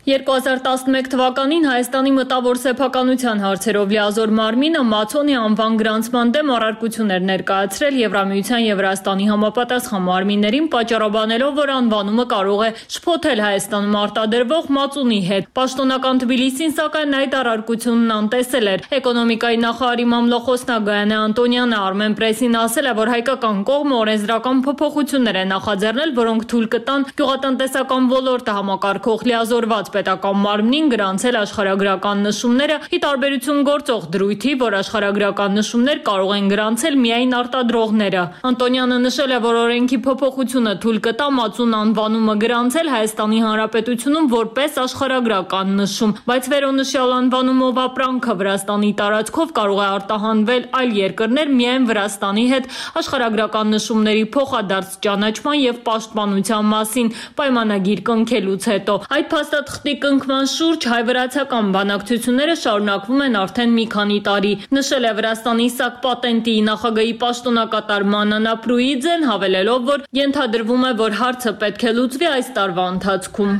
երկու հազար տասնմեկ թվականին Հայաստանի մտավոր սեփականության հարցերով լիազոր մարմինը Մացոնի անվան գրանցման դեմ առարկություններ ներկայացրել Եվրամիության եւ Վրաստանի համապատասխան մարմիններին, պատճառաբանելով, որ անվանումը կարող է շփոթել Հայաստանում արտադրվող մածունի հետ։ Պաշտոնական Թբիլիսին սակայն այդ առարկությունն անտեսել էր։ Էկոնոմիկայի նախարարի մամլոխոսնակ Գայանե Անտոնյանը Armen Press-ին ասել է, որ հայկական կողմը օրենսդրական փոփոխություններ է նախաձեռնել, որոնք թույլ կտան գյուղատնտեսական ոլորտը համակարգող լիազորված պետական մարմնին գրանցել աշխարհագրական նշումները՝ ի տարբերություն գործող դրույթի, որ աշխարհագրական նշումներ կարող են գրանցել միայն արտադրողները։ Անտոնյանը նշել է, որ օրենքի փոփոխությունը թույլ կտա մածուն անվանումը գրանցել Հայաստանի Հանրապետությունում որպես աշխարհագրական նշում, բայց վերոնշյալ անվանումով ապրանքը Վրաստանի տարածքով կարող է արտահանվել այլ երկրներ միայն Վրաստանի հետ աշխարհագրական նշումների փոխադարձ ճանաչման եւ պաշտպանության մասին պայմանագիր կնքելուց հետո։ Այդ փաստաթղթի կնքման շուրջ հայ-վրացական բանակցությունները շարունակվում են արդեն մի քանի տարի։ Նշել է Վրաստանի ՍԱԿ պատենտի նախագահի պաշտոնակատար Մանանա Պրուիձեն, հավելելով, որ ենթադրվում է, որ հարցը պետք է լուծվի այս տարվա ընթացքում։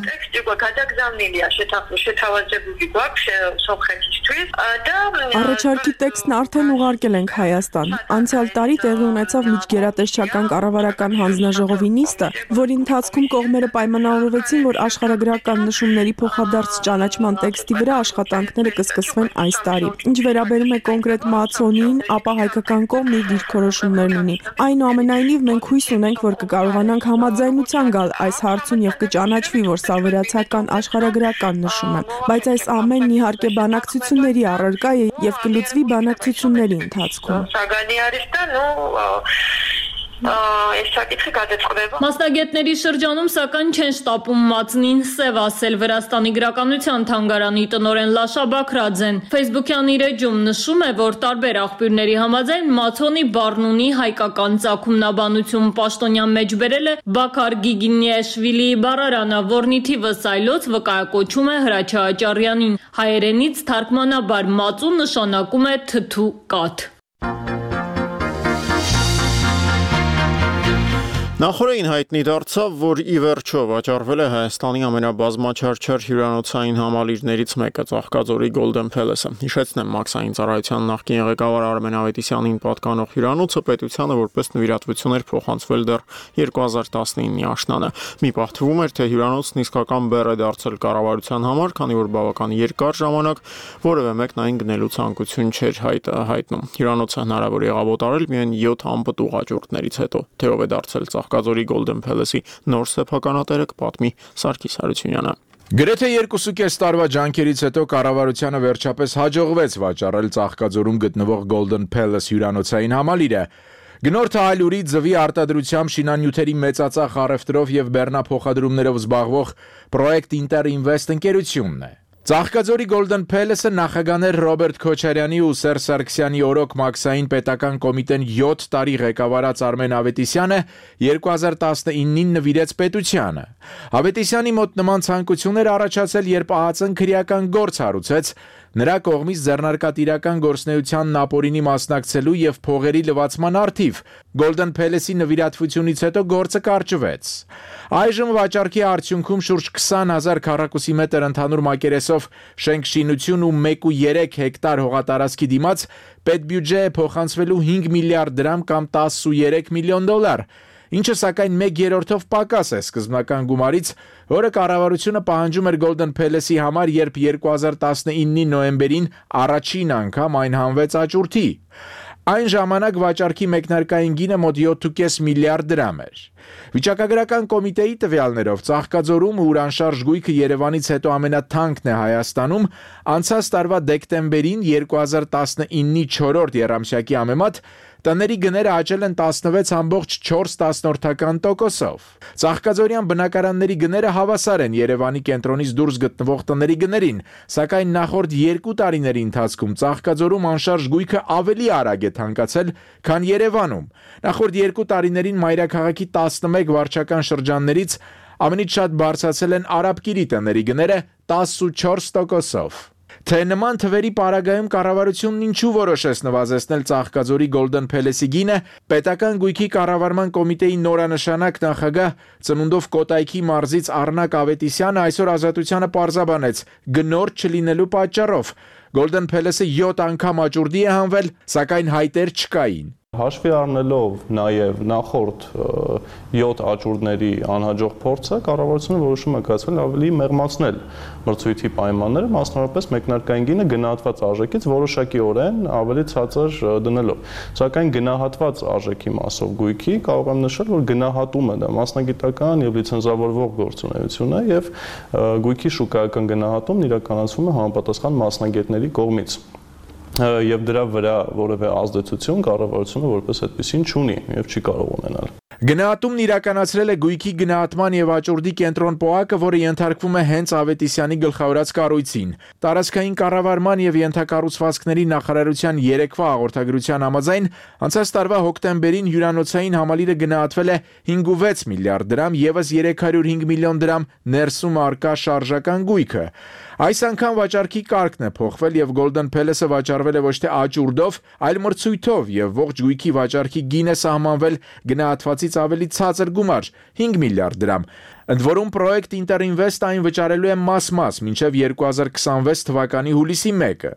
Առաջարկի տեքստն արդեն ուղարկել ենք Հայաստան։ Անցյալ տարի տեղի ունեցավ միջգերատեսչական կառավարական հանձնաժողովի նիստը, որի ընթացքում կողմերը պայմանավորվեցին, որ աշխարհագրական նշումների փոխադարձ ճանաչման տեքստի վրա աշխատանքները կսկսվեն այս տարի։ Ինչ վերաբերում է կոնկրետ մածոնին, ապա հայկական կողմն իր դիրքորոշումներն ունի։ Այնուամենայնիվ մենք հույս ունենք, որ կկարողանանք համաձայնության գալ այս հարցում եւ կճանաչվի, որ սա վրացական աշխարհագրական նշում է, բայց այս ամենն իհարկե բանակցությունների առարկա է եւ կլուծվի բանակցությունների ընթացքում։ Մասնագետների շրջանում սակայն չեն շտապում մածնին սև ասել։ Վրաստանի գրականության թանգարանի տնօրեն Լաշա Բաքրաձեն Facebook-յան իր էջում նշում է, որ տարբեր աղբյուրների համաձայն մածոնի բառն ունի հայկական ծագումնաբանություն։ Պաշտոնյան մեջ բերել է Բաքար Գիգինեշվիլիի բառարանը, որն ի թիվս այլոց վկայակոչում է Հրաչյա Աճարյանին։ Հայերենից թարգմանաբար մածուն նշանակում է թթու կաթ։ Նախորդին հայտնի դարձավ, որ ի վերջո վաճառվել է Հայաստանի ամենաբազմաչարչար հյուրանոցային համալիրներից մեկը՝ Ծաղկաձորի Golden Palace-ը։ Հիշեցնեմ, մաքսային ծառայության նախկին ղեկավար Արմեն Ավետիսյանին պատկանող հյուրանոցը պետությանը որպես նվիրատվություն էր փոխանցվել դեռ երկու հազար տասնինի աշնանը։ Մի պահթվում էր, թե հյուրանոցն իսկական բեռ է դարձել կառավարության համար, քանի որ բավական երկար ժամանակ որևէ մեկն այն գնելու ցանկություն չէր հայտնում։ Հյուրանոցը հնարավոր եղավ օտարել միայն յոթ անպտուղ աճուրդներից հետո։ Թե ով է դարձել Ծաղկաձորի Golden Palace-ի նոր սեփականատերը կպատմի Սարգիս Հարությունյանը։ Գրեթե երկուսուկես տարվա ջանքերից հետո կառավարությանը վերջապես հաջողվեց վաճառել Ծաղկաձորում գտնվող Golden Palace հյուրանոցային համալիրը։ Գնորդը այլուրի ձվի արտադրությամբ շինանյութերի մեծածախ առևտրով եւ բեռնափոխադրումներով զբաղվող Project Inter Invest ընկերությունն է։ Ծաղկաձորի Golden Palace-ը նախագաներ Ռոբերտ Քոչարյանի ու Սերժ Սարգսյանի օրոք մաքսային պետական կոմիտեն յոթ տարի ղեկավարած Արմեն Ավետիսյանը երկու հազար տասնինին նվիրեց պետությանը։ Ավետիսյանի մոտ նման ցանկություն էր առաջացել, երբ ԱԱԾ-ն քրեական գործ հարուցեց նրա կողմից ձեռնարկատիրական գործնեությանն ապօրինի մասնակցելու եւ փողերի լվացման առթիվ։ Golden Palace-ի նվիրատվությունից հետո գործը կարճվեց։ Այժմ վաճառքի արդյունքում շուրջ քսան հազար քառակուսի մետր ընդհանուր մակերեսով շենք-շինություն ու մեկ ու երեք հեկտար հողատարածքի դիմաց պետբյուջե է փոխանցվելու հինգ միլիարդ դրամ կամ տասնուերեք միլիոն դոլար, ինչը սակայն մեկ երրորդով պակաս է սկզբնական գումարից, որը կառավարությունը պահանջում էր Golden Palace-ի համար, երբ երկու հազար տասնինի նոյեմբերին առաջին անգամ այն հանվեց աճուրդի։ Այն ժամանակ վաճառքի մեկնարկային գինը մոտ յոթ միլիարդ դրամ էր։ Վիճակագրական կոմիտեի տվյալներով Ծաղկաձորում ուրանշարժ գույքը Երևանից հետո ամենաթանկն է Հայաստանում, անցած տարվա դեկտեմբերին երկու հազար տասնինի չորրորդ եռամսյակի համեմատ տների գները աճել են տասնվեց ամբողջ չորս տոկոսով։ Ծաղկաձորյան բնակարանների գները հավասար են Երևանի կենտրոնից դուրս գտնվող տների գներին, սակայն նախորդ երկու տարիների ընթացքում Ծաղկաձորում անշարժ գույքը ավելի արագ է թանկացել, քան Երևանում։ Նախորդ երկու տարիներին մայրաքաղաքի տասնմեկ վարչական շրջաններից ամենից շատ բարձրացել են Արաբկիրի տների գները տասնչորս տոկոսով։ Թե նման թվերի պարագայում կառավարությունն ինչու որոշեց նվազեցնել Ծաղկաձորի Golden Palace-ի գինը, պետական գույքի կառավարման կոմիտեի նորանշանակ նախագահ ծնունդով Կոտայքի մարզից Առնակ Ավետիսյանը այսօր Ազատությանը պարզաբանեց գնորդ չլինելու պատճառով։ Golden Palace-ը յոթ անգամ աճուրդի է հանվել, սակայն հայտեր չկային։ Հաշվի առնելով նաև նախորդ յոթ աճուրդների անհաջող փորձը, կառավարությունը որոշում է կայացրել ավելի մեղմացնել մրցույթի պայմանները, մասնավորապես մեկնարկային գինը գնահատված արժեքից որոշակիորեն ավելի ցածր դնելով։ Սակայն գնահատված արժեքի մասով գույքի կարող եմ նշել, որ գնահատումը դա մասնագիտական եւ լիցենզավորվող գործունեություն է եւ գույքի շուկայական գնահատումն իրականացվում է համապատասխան մասնագետների կողմից։ Եվ դրա վրա որևէ ազդեցություն կառավարությունը որպես այդպեսին չունի եւ չի կարող ունենալ։ Գնահատումն իրականացրել է գույքի գնահատման եւ աճուրդի կենտրոն ՊՕԱԿ-ը, որը ենթարկվում է հենց Ավետիսյանի գլխավորած կառույցին։ Տարածքային կառավարման եւ ենթակառուցվածքների նախարարության երեկվա հաղորդագրության համաձայն անցած տարվա հոկտեմբերին հյուրանոցային համալիրը գնահատվել է հինգ վեց միլիարդ դրամ, եւս երեք հարյուր հինգ միլիոն դրամ ներսում արկա շարժական գույքը։ Այս անգամ վաճառքի կարգն է փոխվել եւ Golden Palace-ը վաճառվել է ոչ թե աճուրդով, այլ մրցույթով եւ ողջ գույքի վաճառքի գինը սահմանվել գնահատվածից ավելի ցածր գումար՝ հինգ միլիարդ դրամ։ Ընդ որում Project Interinvest այն վճարելու է մաս-մաս մինչև երկու հազար քսանվեց թվականի հուլիսի մեկը։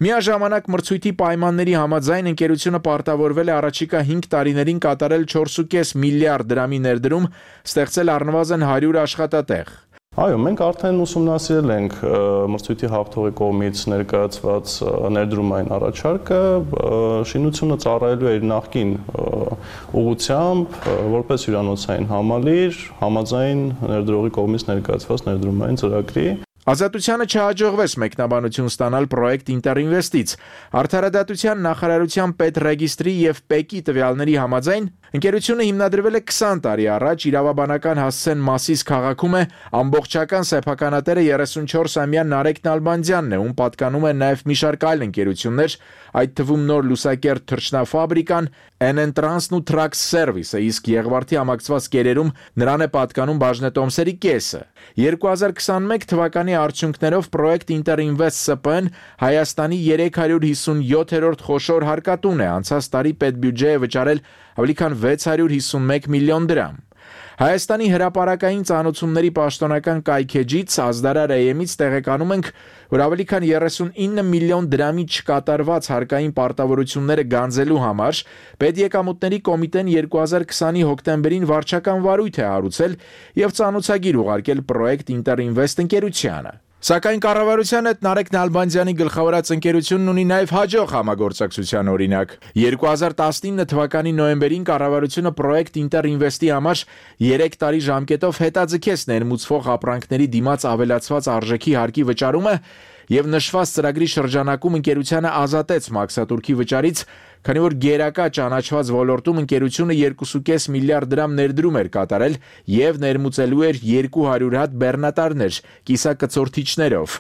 Միաժամանակ մրցույթի պայմանների համաձայն ընկերությունը պարտավորվել է առաջիկա հինգ տարիներին կատարել չորս ու կես միլիարդ դրամի ներդրում, ստեղծել առնվազն հարյուր աշխատատեղ։ Այո, մենք արդեն ուսումնասիրել ենք մրցույթի հաղթողի կողմից ներկայացված ներդրումային առաջարկը, շինությունը ծառայելու է իր նախկին ուղղությամբ, որպես հյուրանոցային համալիր, համաձայն ներդրողի կողմից ներկայացված ներդրումային ծրագրի։ Ազատությանը չհաջողվեց մեկնաբանություն ստանալ Project Interinvest-ից։ Արդարադատության նախարարության պետռեգիստրի եւ ՊԵԿ-ի տվյալների համաձայն ընկերությունը հիմնադրվել է քսան տարի առաջ, իրավաբանական հասցեն Մասիս քաղաքում է, ամբողջական սեփականատերը երեսունչորսամյա Նարեկ Նալբանդյանն է, ում պատկանում է նաև մի շարք այլ ընկերություններ, այդ թվում Նոր լուսակերտ թռչնաֆաբրիկան, N N Trans-ն ու Trax Service-ը, իսկ Եղվարդի ամակցված կերերում նրան է պատկանում բաժնետոմսերի կեսը։ երկու հազար քսանմեկ թվականի արդյունքներով Project Interinvest S P-ն Հայաստանի երեք հարյուր հիսունյոթերորդ խոշոր հարկատուն է, անցած տարի պետբյուջե է վճարել ավելի քան վեց հարյուր հիսունմեկ միլիոն դրամ։ Հայաստանի հրապարակային ծանոթությունների պաշտոնական կայքեջից Ազդարար A M-ից տեղեկանում ենք, որ ավելի քան երեսունինը միլիոն դրամի չկատարված հարկային պարտավորությունները գանձելու համար Պետեկամուտների կոմիտեն երկու հազար քսանի հոկտեմբերին վարչական վարույթ է հարուցել եւ ծանոթագիր ուղարկել Project Interinvest ընկերությանը։ Սակայն կառավարության հետ Նարեկ Նալբանդյանի գլխավորած ընկերությունն ունի նաև հաջող համագործակցության օրինակ։ երկու հազար տասնինը թվականի նոյեմբերին կառավարությունը Project Interinvest-ի համար երեք տարի ժամկետով հետաձգեց ներմուծվող ապրանքների դիմաց ավելացված արժեքի հարկի վճարումը եւ նշված ծրագրի շրջանակում ընկերությանը ազատեց մաքսատուրքի վճարից, քանի որ գերակա ճանաչված ոլորտում ընկերությունը երկու ու կես միլիարդ դրամ ներդրում էր կատարել եւ ներմուծելու էր երկու հարյուր հատ բեռնատարներ կիսակցորդիչներով։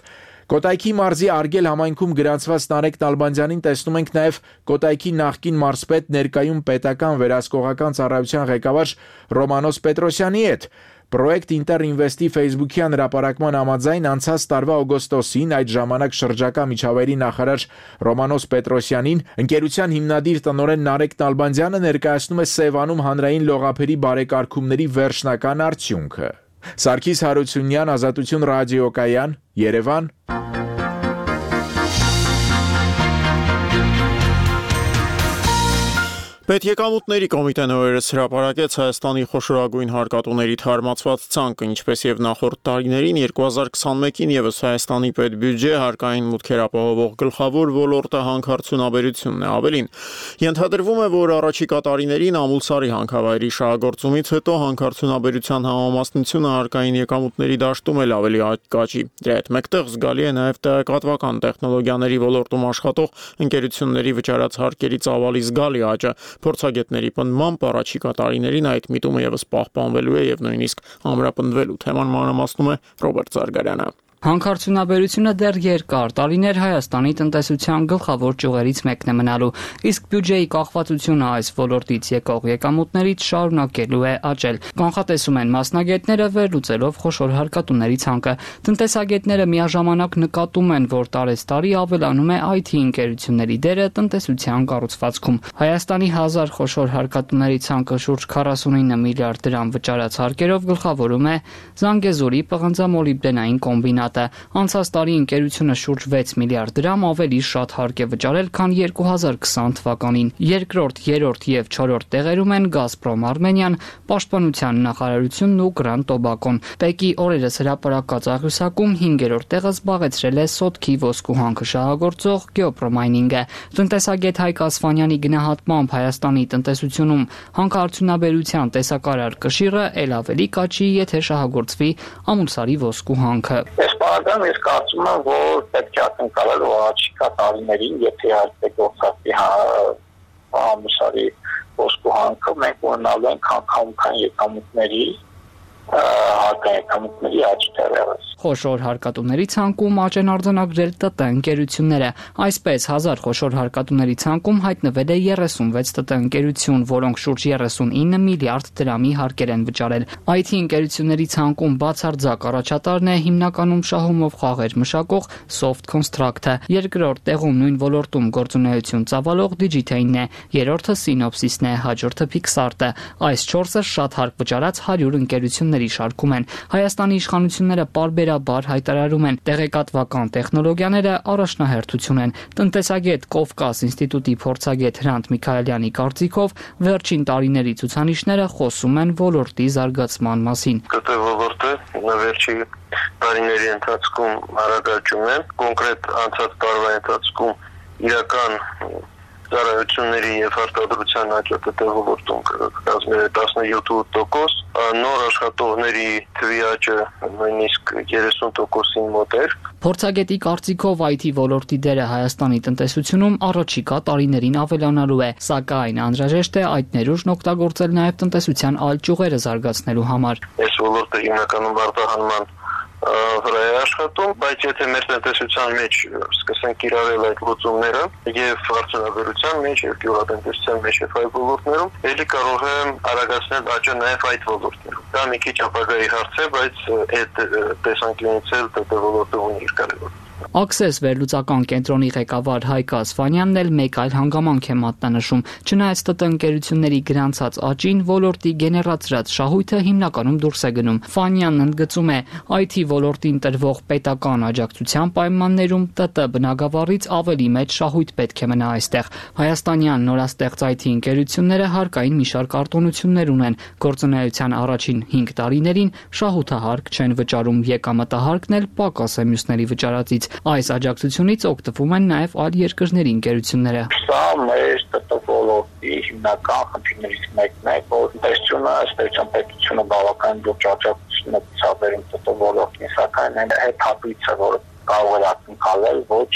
Կոտայքի մարզի Արգել համայնքում գրանցված Նարեկ Նալբանդյանին տեսնում ենք նաև Կոտայքի նախկին մարզպետ ներկայում պետական վերահսկողական ծառայության ղեկավար Ռոմանոս Պետրոսյանի հետ։ Project Interinvest-ի Facebook-յան հրապարակման համաձայն անցած տարվա օգոստոսին այդ ժամանակ շրջակա միջավայրի նախարար Ռոմանոս Պետրոսյանին ընկերության հիմնադիր տնօրեն Նարեկ Նալբանդյանը ներկայացնում է Սևանում հանրային լողափերի բարեկարգումների վերջնական արդյունքը։ Սարգիս Հարությունյան, Ազատություն ռադիոկայան, Երևան։ Պետեկամուտների կոմիտեն օրերս հրապարակեց Հայաստանի խոշորագույն հարկատուների թարմացված ցանկը, ինչպես եւ նախորդ տարիներին երկու հազար քսանմեկին եւս Հայաստանի պետբյուջե հարկային մուտքեր ապահովող գլխավոր ոլորտը հանքարդյունաբերությունն է։ Ավելին, ենթադրվում է, որ առաջիկա տարիներին Ամուլսարի հանքավայրի շահագործումից հետո հանքարդյունաբերության համամասնությունը հարկային եկամուտների դաշտում էլ ավելի կաճի։ Դրա հետ մեկտեղ զգալի է նաեւ տեղեկատվական տեխնոլոգիաների ոլորտում աշխատող ընկերությունների վճարած հարկերի ծավալի զգալի աճը։ Փորձագետների պնդմամբ առաջիկա տարիներին այդ միտումը եւս պահպանվելու է եւ նույնիսկ ամրապնդվելու։ Թեման մանրամասնում է Ռոբերտ Զարգարյանը։ Հանքարդյունաբերությունը դեռ երկար տարիներ Հայաստանի տնտեսության գլխավոր ճյուղերից մեկն է մնալու, իսկ բյուջեի կախվածությունը այս ոլորտից եկող եկամուտներից շարունակելու է աճել։ Կանխատեսում են մասնագետները վերլուծելով խոշոր հարկատուների ցանկը։ Տնտեսագետները միաժամանակ նկատում են, որ տարեստարի ավելանում է այ թի ընկերությունների դերը տնտեսության կառուցվածքում։ Հայաստանի հազար խոշոր հարկատուների ցանկը շուրջ քառասունինը միլիարդ դրամ վճարած հարկերով գլխավորում է Զանգեզուրի պղնձամոլիբդենային կոմբինատը։ Անցած տարի ընկերությունը շուրջ վեց միլիարդ դրամ ավելի շատ հարկ է վճարել, քան երկու հազար քսան թվականին։ Երկրորդ, երրորդ եւ չորրորդ տեղերում են Գազպրոմ Արմենիան, Պաշտպանության նախարարությունն ու Գրանդ Տոբակոն։ Պեկի օրերս հրապարակած աղյուսակում հինգերորդ տեղը զբաղեցրել է Սոտքի ոսկու հանքը շահագործող Գեոպրոմայնինգը։ Տնտեսագետ Հայկ Ասֆանյանի գնահատմամբ Հայաստանի տնտեսությունում հանքարդյունաբերության տեսակարար կշիռը ել ավելի կաճի, եթե շահագործվի Ամուլսարի ոսկու հանքը։ Բաղդան ես կարծում եմ, որ պետք է ակնկալել առաջիկա տարիներին, եթե իհարկե գործածի Ամուլսարի ոսկու հանքը, մենք ունենալու ենք հանքամուտքային եկամուտների հարկայեկամուտների աճ դեռևս։ Խոշոր հարկատուների ցանկում աճ են արձանագրել ՏՏ ընկերությունները։ Այսպես հազար խոշոր հարկատուների ցանկում հայտնվել է երեսունվեց ՏՏ ընկերություն, որոնք շուրջ երեսունինը միլիարդ դրամի հարկեր են վճարել։ այ թի ընկերությունների ցանկում բացարձակ առաջատարն է հիմնականում շահումով խաղեր մշակող Soft Construct-ը։ Երկրորդ տեղում նույն ոլորտում գործունեություն ծավալող Digitane-ն է, երրորդը Synopsys-ն է, հաջորդը Pixart-ը։ Այս չորսը շատ հարկ վճարած հարյուր ընկերությունների շարքում են։ Հայաստանի իշխանությունները պարբերաբար հայտարարում են, տեղեկատվական տեխնոլոգիաները առաջնահերթություն են։ Տնտեսագետ Կովկաս ինստիտուտի փորձագետ Հրանտ Միքայելյանի կարծիքով վերջին տարիների ցուցանիշները խոսում են ոլորտի զարգացման մասին։ ԿՏ ոլորտը վերջի տարիների ընթացքում արագացում է, կոնկրետ անցած տարվա ընթացքում իրական ծառայությունների եւ արտադրության աճը ՏՏ ոլորտում կազմել է տասնյոթ տոկոս, նոր աշխատողների թվի աճը նույնիսկ երեսուն տոկոսին մոտ էր։ Փորձագետի կարծիքով այ թի ոլորտի դերը Հայաստանի տնտեսությունում առաջիկա տարիներին ավելանալու է, սակայն անհրաժեշտ է այդ ներուժն օգտագործել նաեւ տնտեսության այլ ճյուղերը զարգացնելու համար։ Այս ոլորտը հիմնականում արտահանման վրա է աշխատում, բայց եթե մեր տնտեսության մեջ սկսենք կիրառել այդ լուծումները եւ արդյունաբերության մեջ եւ գյուղատնտեսության մեջ եւ այլ ոլորտներում, ելի կարող է արագացնել աճը նաեւ այդ ոլորտներում։ Դա մի քիչ ապագայի հարց է, բայց այդ տեսանկյունից էլ ՏՏ ոլորտը ունի իր կարևորությունը։ Access վերլուծական կենտրոնի ղեկավար Հայկ Ասֆանյանն էլ մեկ այլ հանգամանք է մատնանշում։ Չնայած ՏՏ ընկերությունների գրանցած աճին, ոլորտի գեներացրած շահույթը հիմնականում դուրս է գնում։ Ֆանյանն ընդգծում է, այ թի ոլորտին տրվող պետական աջակցության պայմաններում ՏՏ բնագավառից ավելի մեծ շահույթ պետք է մնա այստեղ։ Հայաստանյան նորաստեղծ այ թի ընկերությունները հարկային մի շարք արտոնություններ ունեն։ Գործունեության առաջին հինգ տարիներին շահութահարկ չեն վճարում, եկամտահարկն էլ պակաս է մյուսների վճարածից։ Այս աջակցությունից օգտվում են նաև այլ երկրների ընկերությունները։ Սա մեր ՏՏ ոլորտի հիմնական խնդիրներից մեկն է, որ տնտեսությունը, ըստ պետությունը բավական լուրջ աջակցություն է ցուցաբերում ՏՏ ոլորտին, սակայն այն հետ հատույցը, որը կարող է ակնկալել, ոչ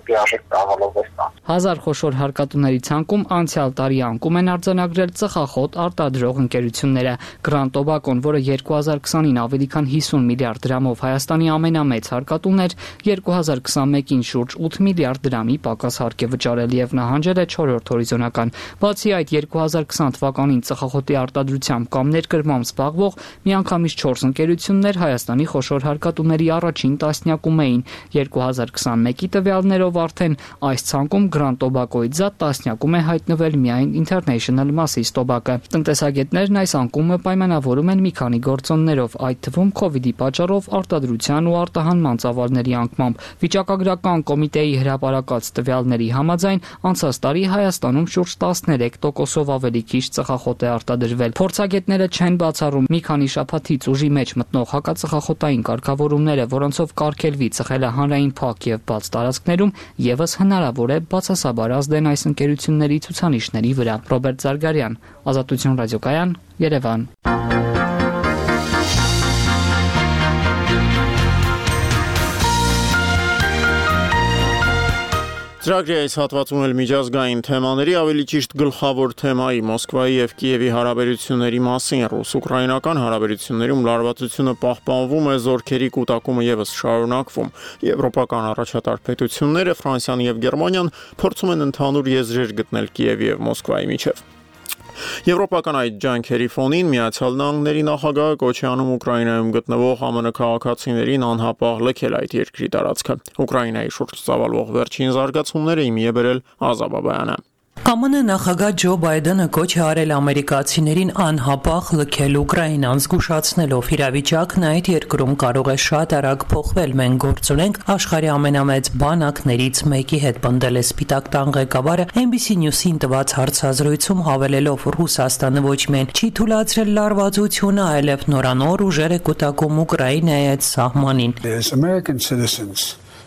լիարժեք ծավալով է ստանում։ Հազար խոշոր հարկատուների ցանկում անցյալ տարի անկում են արձանագրել ծխախոտ արտադրող ընկերությունները։ Գրանդ Տոբակոն, որը երկու հազար քսանին ավելի քան հիսուն միլիարդ դրամով Հայաստանի ամենամեծ հարկատուն էր, երկու հազար քսանմեկին շուրջ ութ միլիարդ դրամի պակաս հարկ է վճարել եւ նահանջել է չորրորդ հորիզոնական։ Բացի այդ, երկու հազար քսան թվականին ծխախոտի արտադրությամբ կամ ներկրմամբ զբաղվող միանգամից չորս ընկերություններ Հայաստանի խոշոր հարկատուների առաջին տասնյակում էին։ երկու հազար քսանմեկի տվյալներով արդեն այս ցանկում Գրանդ Տոբակոյից զատ տասնյակում է հայտնվել միայն International Masses Tobacco։ Տնտեսագետներն այս անկումը պայմանավորում են մի քանի գործոններով, այդ թվում Քովիդի պատճառով արտադրության ու արտահանման ծավալների անկմամբ։ Վիճակագրական կոմիտեի հրապարակած տվյալների համաձայն անցած տարի Հայաստանում շուրջ տասներեք տոկոսով ավելի քիչ ծխախոտ է արտադրվել։ Փորձագետները չեն բացառում մի քանի շաբաթից ուժի մեջ մտնող հակածխախոտային կարգավորումները, որոնցով կարգելվի ծխելը հանրային փակ եւ բաց տարածքներում, եւս հնարավոր է բացասաբար ազդեն այս ընկերությունների ցուցանիշների վրա։ Ռոբերտ Զարգարյան, Ազատություն ռադիոկայան, Երևան։ Ծրագրի այս հատվածում էլ միջազգային թեմաների, ավելի ճիշտ գլխավոր թեմայի Մոսկվայի եւ Կիևի հարաբերությունների մասին ռուս-ուկրաինական հարաբերություններում լարվածությունը պահպանվում է, զորքերի կուտակումը եւս շարունակվում։ Եվրոպական առաջատար պետությունները Ֆրանսիան եւ Գերմանիան փորձում են ընդհանուր եզրեր գտնել Կիևի եւ Մոսկվայի միջեւ։ Եվրոպական այդ ջանքերի ֆոնին Միացյալ Նահանգների նախագահը կոչ է անում Ուկրաինայում գտնվող ԱՄՆ քաղաքացիներին անհապաղ լքել այդ երկրի տարածքը։ Ուկրաինայի շուրջ ծավալվող վերջին զարգացումները իմի է բերել Ազա Բաբայանը։ ԱՄՆ նախագահ Ջո Բայդենը կոչ է արել ամերիկացիներին անհապաղ լքել Ուկրաինան, զգուշացնելով իրավիճակն այդ երկրում կարող է շատ արագ փոխվել։ Մենք գործ ունենք աշխարհի ամենամեծ բանակներից մեկի հետ, պնդել է Սպիտակ տան ղեկավարը N B C News-ին տված հարցազրույցում, հավելելով Ռուսաստանը ոչ միայն չի թույլատրել լարվածությունը, այլև նորանոր ուժեր է կուտակում Ուկրաինայի այդ սահմանին։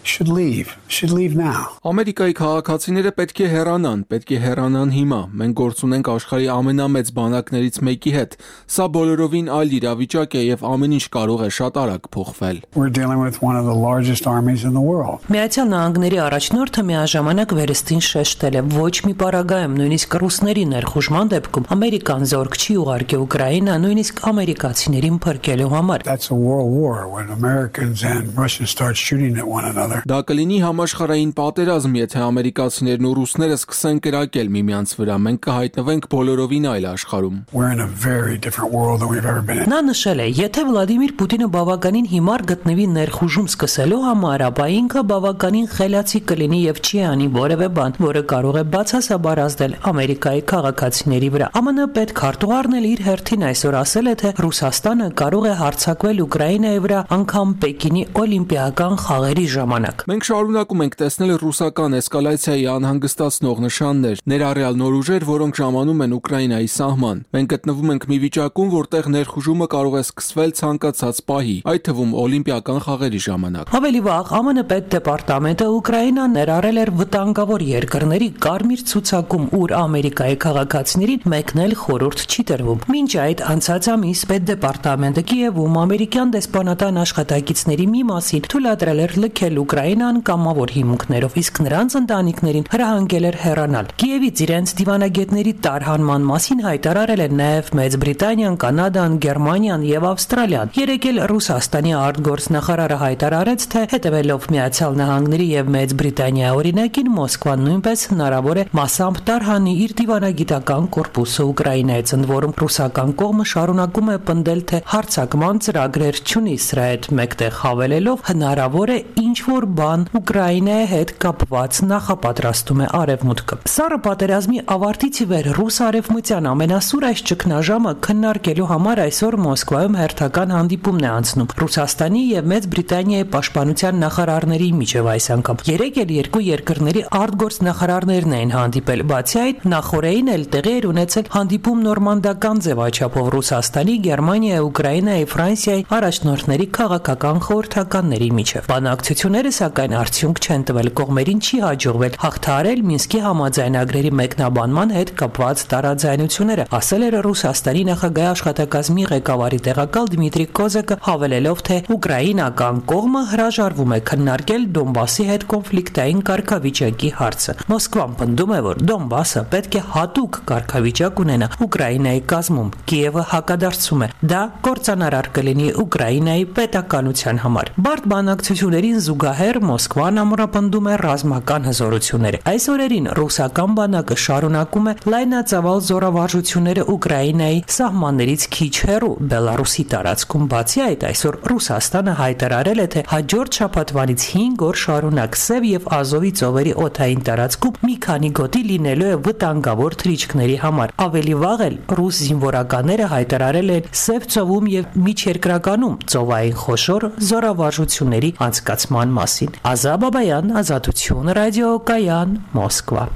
should leave should leave now. Ամերիկայի քաղաքացիները պետք է հեռանան, պետք է հեռանան հիմա։ Մենք գործ ունենք աշխարհի ամենամեծ բանակներից մեկի հետ։ Սա բոլորովին այլ իրավիճակ է եւ ամեն ինչ կարող է շատ արագ փոխվել։ We're dealing with one of the largest armies in the world. Միացյալ Նահանգների առաջնորդը միաժամանակ վերստին շեշտել է, ոչ մի պարագայում, նույնիսկ ռուսների ներխուժման դեպքում Ամերիկան զորք չի ուղարկի Ուկրաինա, նույնիսկ ամերիկացիներին փրկելու համար։ That's a world war when Americans and Russians start shooting at one another. Դա կլինի համաշխարհային պատերազմ, եթե ամերիկացիներն ու ռուսները սկսեն կրակել միմյանց վրա, մենք կհայտնվենք բոլորովին այլ աշխարհում։ We're in a very different world than we've ever been in. Նա նշել է, եթե Վլադիմիր Պուտինը բավականին հիմար գտնվի ներխուժում սկսելու համար, ապա ինքը բավականին խելացի կլինի եւ չի անի որևէ բան, որը կարող է բացասաբար ազդել Ամերիկայի քաղաքացիների վրա։ ԱՄՆ պետքարտուղարն էլ իր հերթին այսօր ասել է, թե Ռուսաստանը կարող է հարձակվել Ուկրաինայի վրա անգամ Պեկինի օլիմպիական խաղերի ժամանակ։ Մենք շարունակում ենք տեսնել ռուսական էսկալացիայի անհանգստացնող նշաններ, ներառյալ նոր ուժեր, որոնք ժամանում են Ուկրաինայի սահման։ Մենք գտնվում ենք մի վիճակում, որտեղ ներխուժումը կարող է սկսվել ցանկացած պահի, այդ թվում օլիմպիական խաղերի ժամանակ։ Ավելի վաղ ԱՄՆ պետդեպարտամենտը Ուկրաինան ներառել էր վտանգավոր երկրների կարմիր ցուցակում, ուր Ամերիկայի քաղաքացիներին մեկնել խորհուրդ չի տրվում։ Մինչ այդ անցած ամիս պետդեպարտամենտը Կիևում ամերիկյան դեսպանատան աշխատակիցների մի մասին թույլատրել էր լքել Ուկրաինան կամավոր հիմունքներով, իսկ նրանց ընտանիքներին հրահանգել էր հեռանալ։ Կիևից իրենց դիվանագետների տարհանման մասին հայտարարել են նաև Մեծ Բրիտանիան, Կանադան, Գերմանիան եւ Ավստրալիան։ Երեկ էլ Ռուսաստանի արտգործնախարարը հայտարարեց, թե հետևելով Միացյալ Նահանգների եւ Մեծ Բրիտանիայի օրինակին, Մոսկվան նույնպես հնարավոր է մասամբ տարհանի իր դիվանագիտական կորպուսը Ուկրաինայից, ընդ որում ռուսական կողմը շարունակում է պնդել, թե հարձակման ծրագրեր չունի, սրա հետ մեկտեղ հավելելով հնարավոր է ինչ-որ բան Ուկրաինայի հետ կապված նախապատրաստում է Արևմուտքը։ Սառը պատերազմի ավարտից ի վեր ռուս արևմտյան ամենասուր այս ճգնաժամը քննարկելու համար այսօր Մոսկվայում հերթական հանդիպումն է անցնում Ռուսաստանի եւ Մեծ Բրիտանիայի պաշտպանության նախարարների միջև այս անգամ։ Երեկ էլ երկու երկրների արտգործնախարարներն էին հանդիպել։ Բացի այդ, նախորդին էլ տեղի էր ունեցել հանդիպում նորմանդական ձևաչափով Ռուսաստանի, Գերմանիայի, Ուկրաինայի, Ֆրանսիայի առաջնորդների քաղաքական խորհրդականների միջև։ Բանակցությունները սակայն արդյունք չեն տվել, կողմերին չի հաջողվել հաղթահարել Մինսկի համաձայնագրերի մեկնաբանման հետ կապված տարաձայնությունները, ասել էր Ռուսաստանի նախագահի աշխատակազմի ղեկավարի տեղակալ Դմիտրի Կոզակը, հավելելով, թե ուկրաինական կողմը հրաժարվում է քննարկել Դոնբասի հետ կոնֆլիկտային կարգավիճակի հարցը։ Մոսկվան պնդում է, որ Դոնբասը պետք է հատուկ կարգավիճակ ունենա Ուկրաինայի կազմում։ Կիևը հակադարձում է։ Դա կործանարար կլինի Ուկրաինայի պետականության համար։ Բարդ բանակցություններին զուգահեռ Մոսկվան ամրապնդում է ռազմական հզորությունները։ Այս օրերին ռուսական բանակը շարունակում է լայնածավալ զորավարժությունները Ուկրաինայի սահմաններից քիչ հեռու Բելարուսի տարածքում։ Բացի այդ, այսօր Ռուսաստանը հայտարարել է, թե հաջորդ շաբաթվանից հինգ օր շարունակ Սև եւ Ազովի ծովերի օդային տարածքում մի քանի գոտի լինելու է վտանգավոր թռիչքների համար։ Ավելի վաղ էլ ռուս զինվորականները հայտարարել են Սև ծովում եւ միջերկրականում ծովային խոշոր զորավարժությունների անցկացման մասին։ Ազա Բաբայան, Ազատություն, ռադիոկայան, Մոսկվա։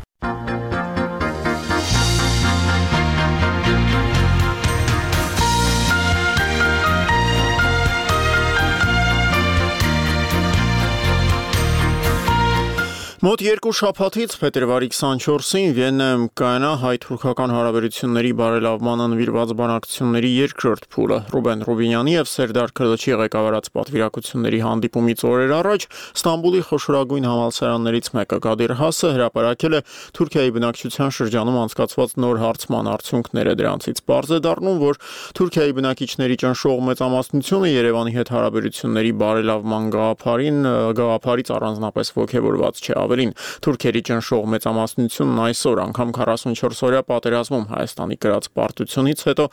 Մոտ երկու շաբաթից փետրվարի քսանչորսին Վիեննայում կայանա հայ-թուրքական հարաբերությունների բարելավման նվիրված բանակցությունների երկրորդ փուլը։ Ռուբեն Ռուբինյանի եւ Սերդար Քրլչի ղեկավարած պատվիրակությունների հանդիպումից օրեր առաջ Ստամբուլի խոշորագույն համալսարաններից մեկը Կադիր Հասը հրապարակել է Թուրքիայի բնակչության շրջանում անցկացված նոր հարցման արդյունքները։ Դրանցից պարզ է դառնում, որ Թուրքիայի բնակիչների ճնշող մեծամասնությունը Երևանի հետ հարաբերությունների բարելավման գաղափարին գաղափարից առանձնապես ոգևորված չէ։ Ավելին, թուրքերի ճնշող մեծամասնությունն այսօր անգամ քառասունչորս-օրյա պատերազմում Հայաստանի կրած պարտությունից հետո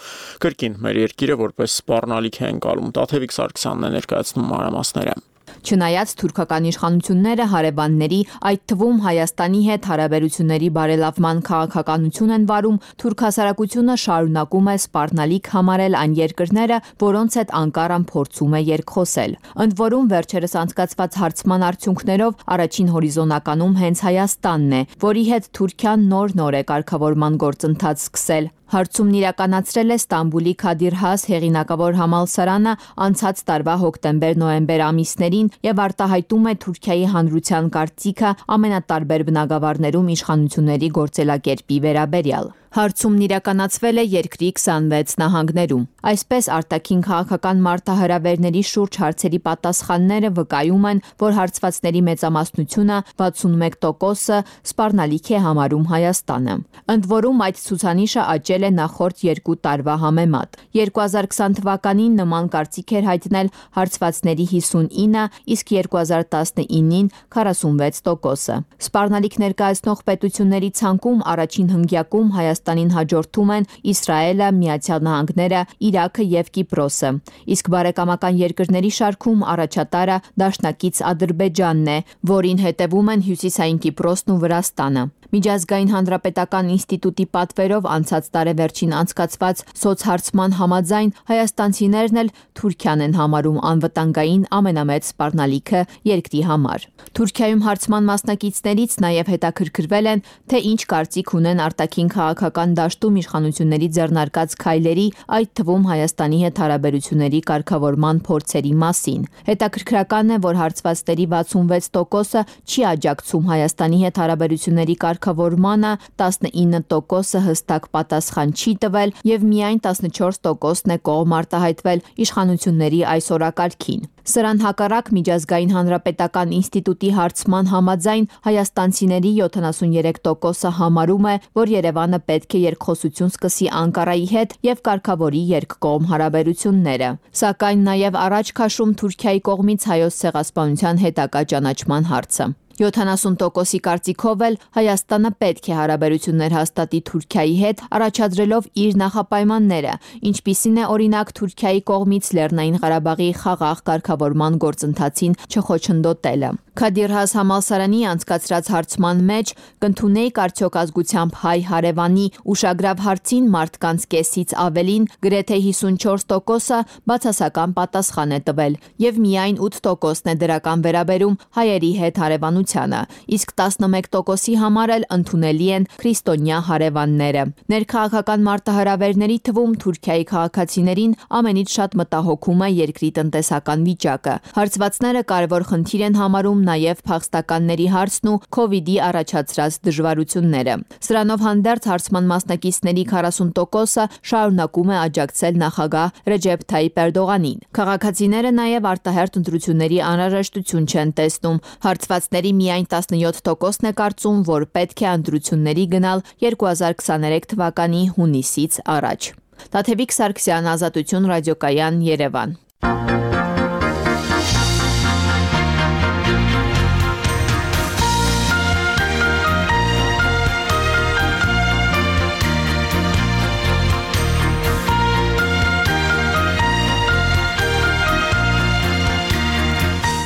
կրկին մեր երկիրը որպես սպառնալիք է ընկալում։ Տաթևիկ Սարգսյանն է ներկայացնում մանրամասները։ Չնայած թուրքական իշխանությունները հարևանների, այդ թվում Հայաստանի հետ հարաբերությունների բարելավման քաղաքականություն են վարում, թուրք հասարակությունը շարունակում է սպառնալիք համարել այն երկրները, որոնց հետ Անկարան փորձում է երկխոսել։ Ընդ որում վերջերս անցկացված հարցման արդյունքներով առաջին հորիզոնականում հենց Հայաստանն է, որի հետ Թուրքիան նոր-նոր է կարգավորման գործընթաց սկսել։ Հարցումն իրականացրել է Ստամբուլի Քադիր Has հեղինակավոր համալսարանը անցած տարվա հոկտեմբեր-նոյեմբեր ամիսներին եւ արտահայտում է Թուրքիայի հանրության կարծիքը ամենատարբեր բնագավառներում իշխանությունների գործելակերպի վերաբերյալ։ Հարցումն իրականացվել է երկրի քսանվեց նահանգներում։ Այսպես արտաքին քաղաքական մարտահրավերների շուրջ հարցերի պատասխանները վկայում են, որ հարցվածների մեծամասնությունը վաթսունմեկ տոկոսը սպառնալիք է համարում Հայաստանը։ Ընդ որում այդ ցուցանիշը աճել է նախորդ երկու տարվա համեմատ։ երկու հազար քսան թվականին նման կարծիք էր հայտնել հարցվածների հիսունինը, իսկ երկու հազար տասնինին քառասունվեց տոկոսը։ Սպառնալիք ներկայացնող պետությունների ցանկում առաջին հնգյակում Հայաստանը Հայաստանին հաջորդում են Իսրայելը, Միացյալ Նահանգները, Իրաքը եւ Կիպրոսը, իսկ բարեկամական երկրների շարքում առաջատարը դաշնակից Ադրբեջանն է, որին հետևում են Հյուսիսային Կիպրոսն ու Վրաստանը։ Միջազգային հանրապետական ինստիտուտի պատվերով անցած տարեվերջին անցկացված սոցհարցման համաձայն հայաստանցիներն էլ Թուրքիան են համարում անվտանգային ամենամեծ սպառնալիքը երկրի համար։ Թուրքիայում հարցման մասնակիցներից նաև հետաքրքրվել են, թե ինչ կարծիք ունեն արտաքին քաղաքական դաշտում իշխանությունների ձեռնարկած քայլերի, այդ թվում Հայաստանի հետ հարաբերությունների կարգավորման փորձերի մասին։ Հետաքրքրական է, որ հարցվածների վաթսունվեց տոկոսը չի աջակցում Հայաստանի հետ հարաբերությունների կարգավորմանը, տասնինը տոկոսը հստակ պատասխան չի տվել եւ միայն տասնչորս տոկոսն է կողմ արտահայտվել իշխանությունների այս օրակարգին։ Սրան հակառակ Միջազգային հանրապետական ինստիտուտի հարցման համաձայն հայաստանցիների յոթանասուներեք տոկոսը համարում է, որ Երևանը պետք է երկխոսություն սկսի Անկարայի հետ եւ կարգավորի երկկողմ հարաբերությունները։ Սակայն նաեւ առաջ քաշում Թուրքիայի կողմից հայոց ցեղասպանության հետագա ճանաչման հարցը։ յոթանասուն տոկոսի կարծիքով էլ Հայաստանը պետք է հարաբերություններ հաստատի Թուրքիայի հետ, առաջադրելով իր նախապայմանները, ինչպիսին է օրինակ Թուրքիայի կողմից Լեռնային Ղարաբաղի խաղաղ կարգավորման գործընթացին չխոչընդոտելը։ Քադիր Has համալսարանի անցկացրած հարցման մեջ կընդունեիք արդյոք ազգությամբ հայ հարևանի ուշագրավ հարցին մարդկանց կեսից ավելին գրեթե հիսունչորս տոկոսը բացասական պատասխան է տվել եւ միայն ութ տոկոսն է դրական վերաբերում հայերի հետ հարևանությանը, իսկ տասնմեկ տոկոսի համար էլ ընդունելի են քրիստոնյա հարևանները։ Ներքաղաքական մարտահրավերների թվում Թուրքիայի քաղաքացիներին ամենից շատ մտահոգում է երկրի տնտեսական վիճակը։ Հարցվածները կարևոր խնդիր են համարում նաև փախստականների հարցն ու Քովիդի առաջացրած դժվարությունները։ Սրանով հանդերձ հարցման մասնակիցների քառասուն տոկոսը շարունակում է աջակցել նախագահ Ռեջեփ Թայիպ Էրդողանին։ Քաղաքացիները նաև արտահերթ ընտրությունների անհրաժեշտություն չեն տեսնում։ Հարցվածների միայն տասնյոթ տոկոսն է կարծում, որ պետք է ընտրությունների գնալ երկու հազար քսաներեք թվականի հունիսից առաջ։ Տաթևիկ Սարգսյան, Ազատություն ռադիոկայան, Երևան։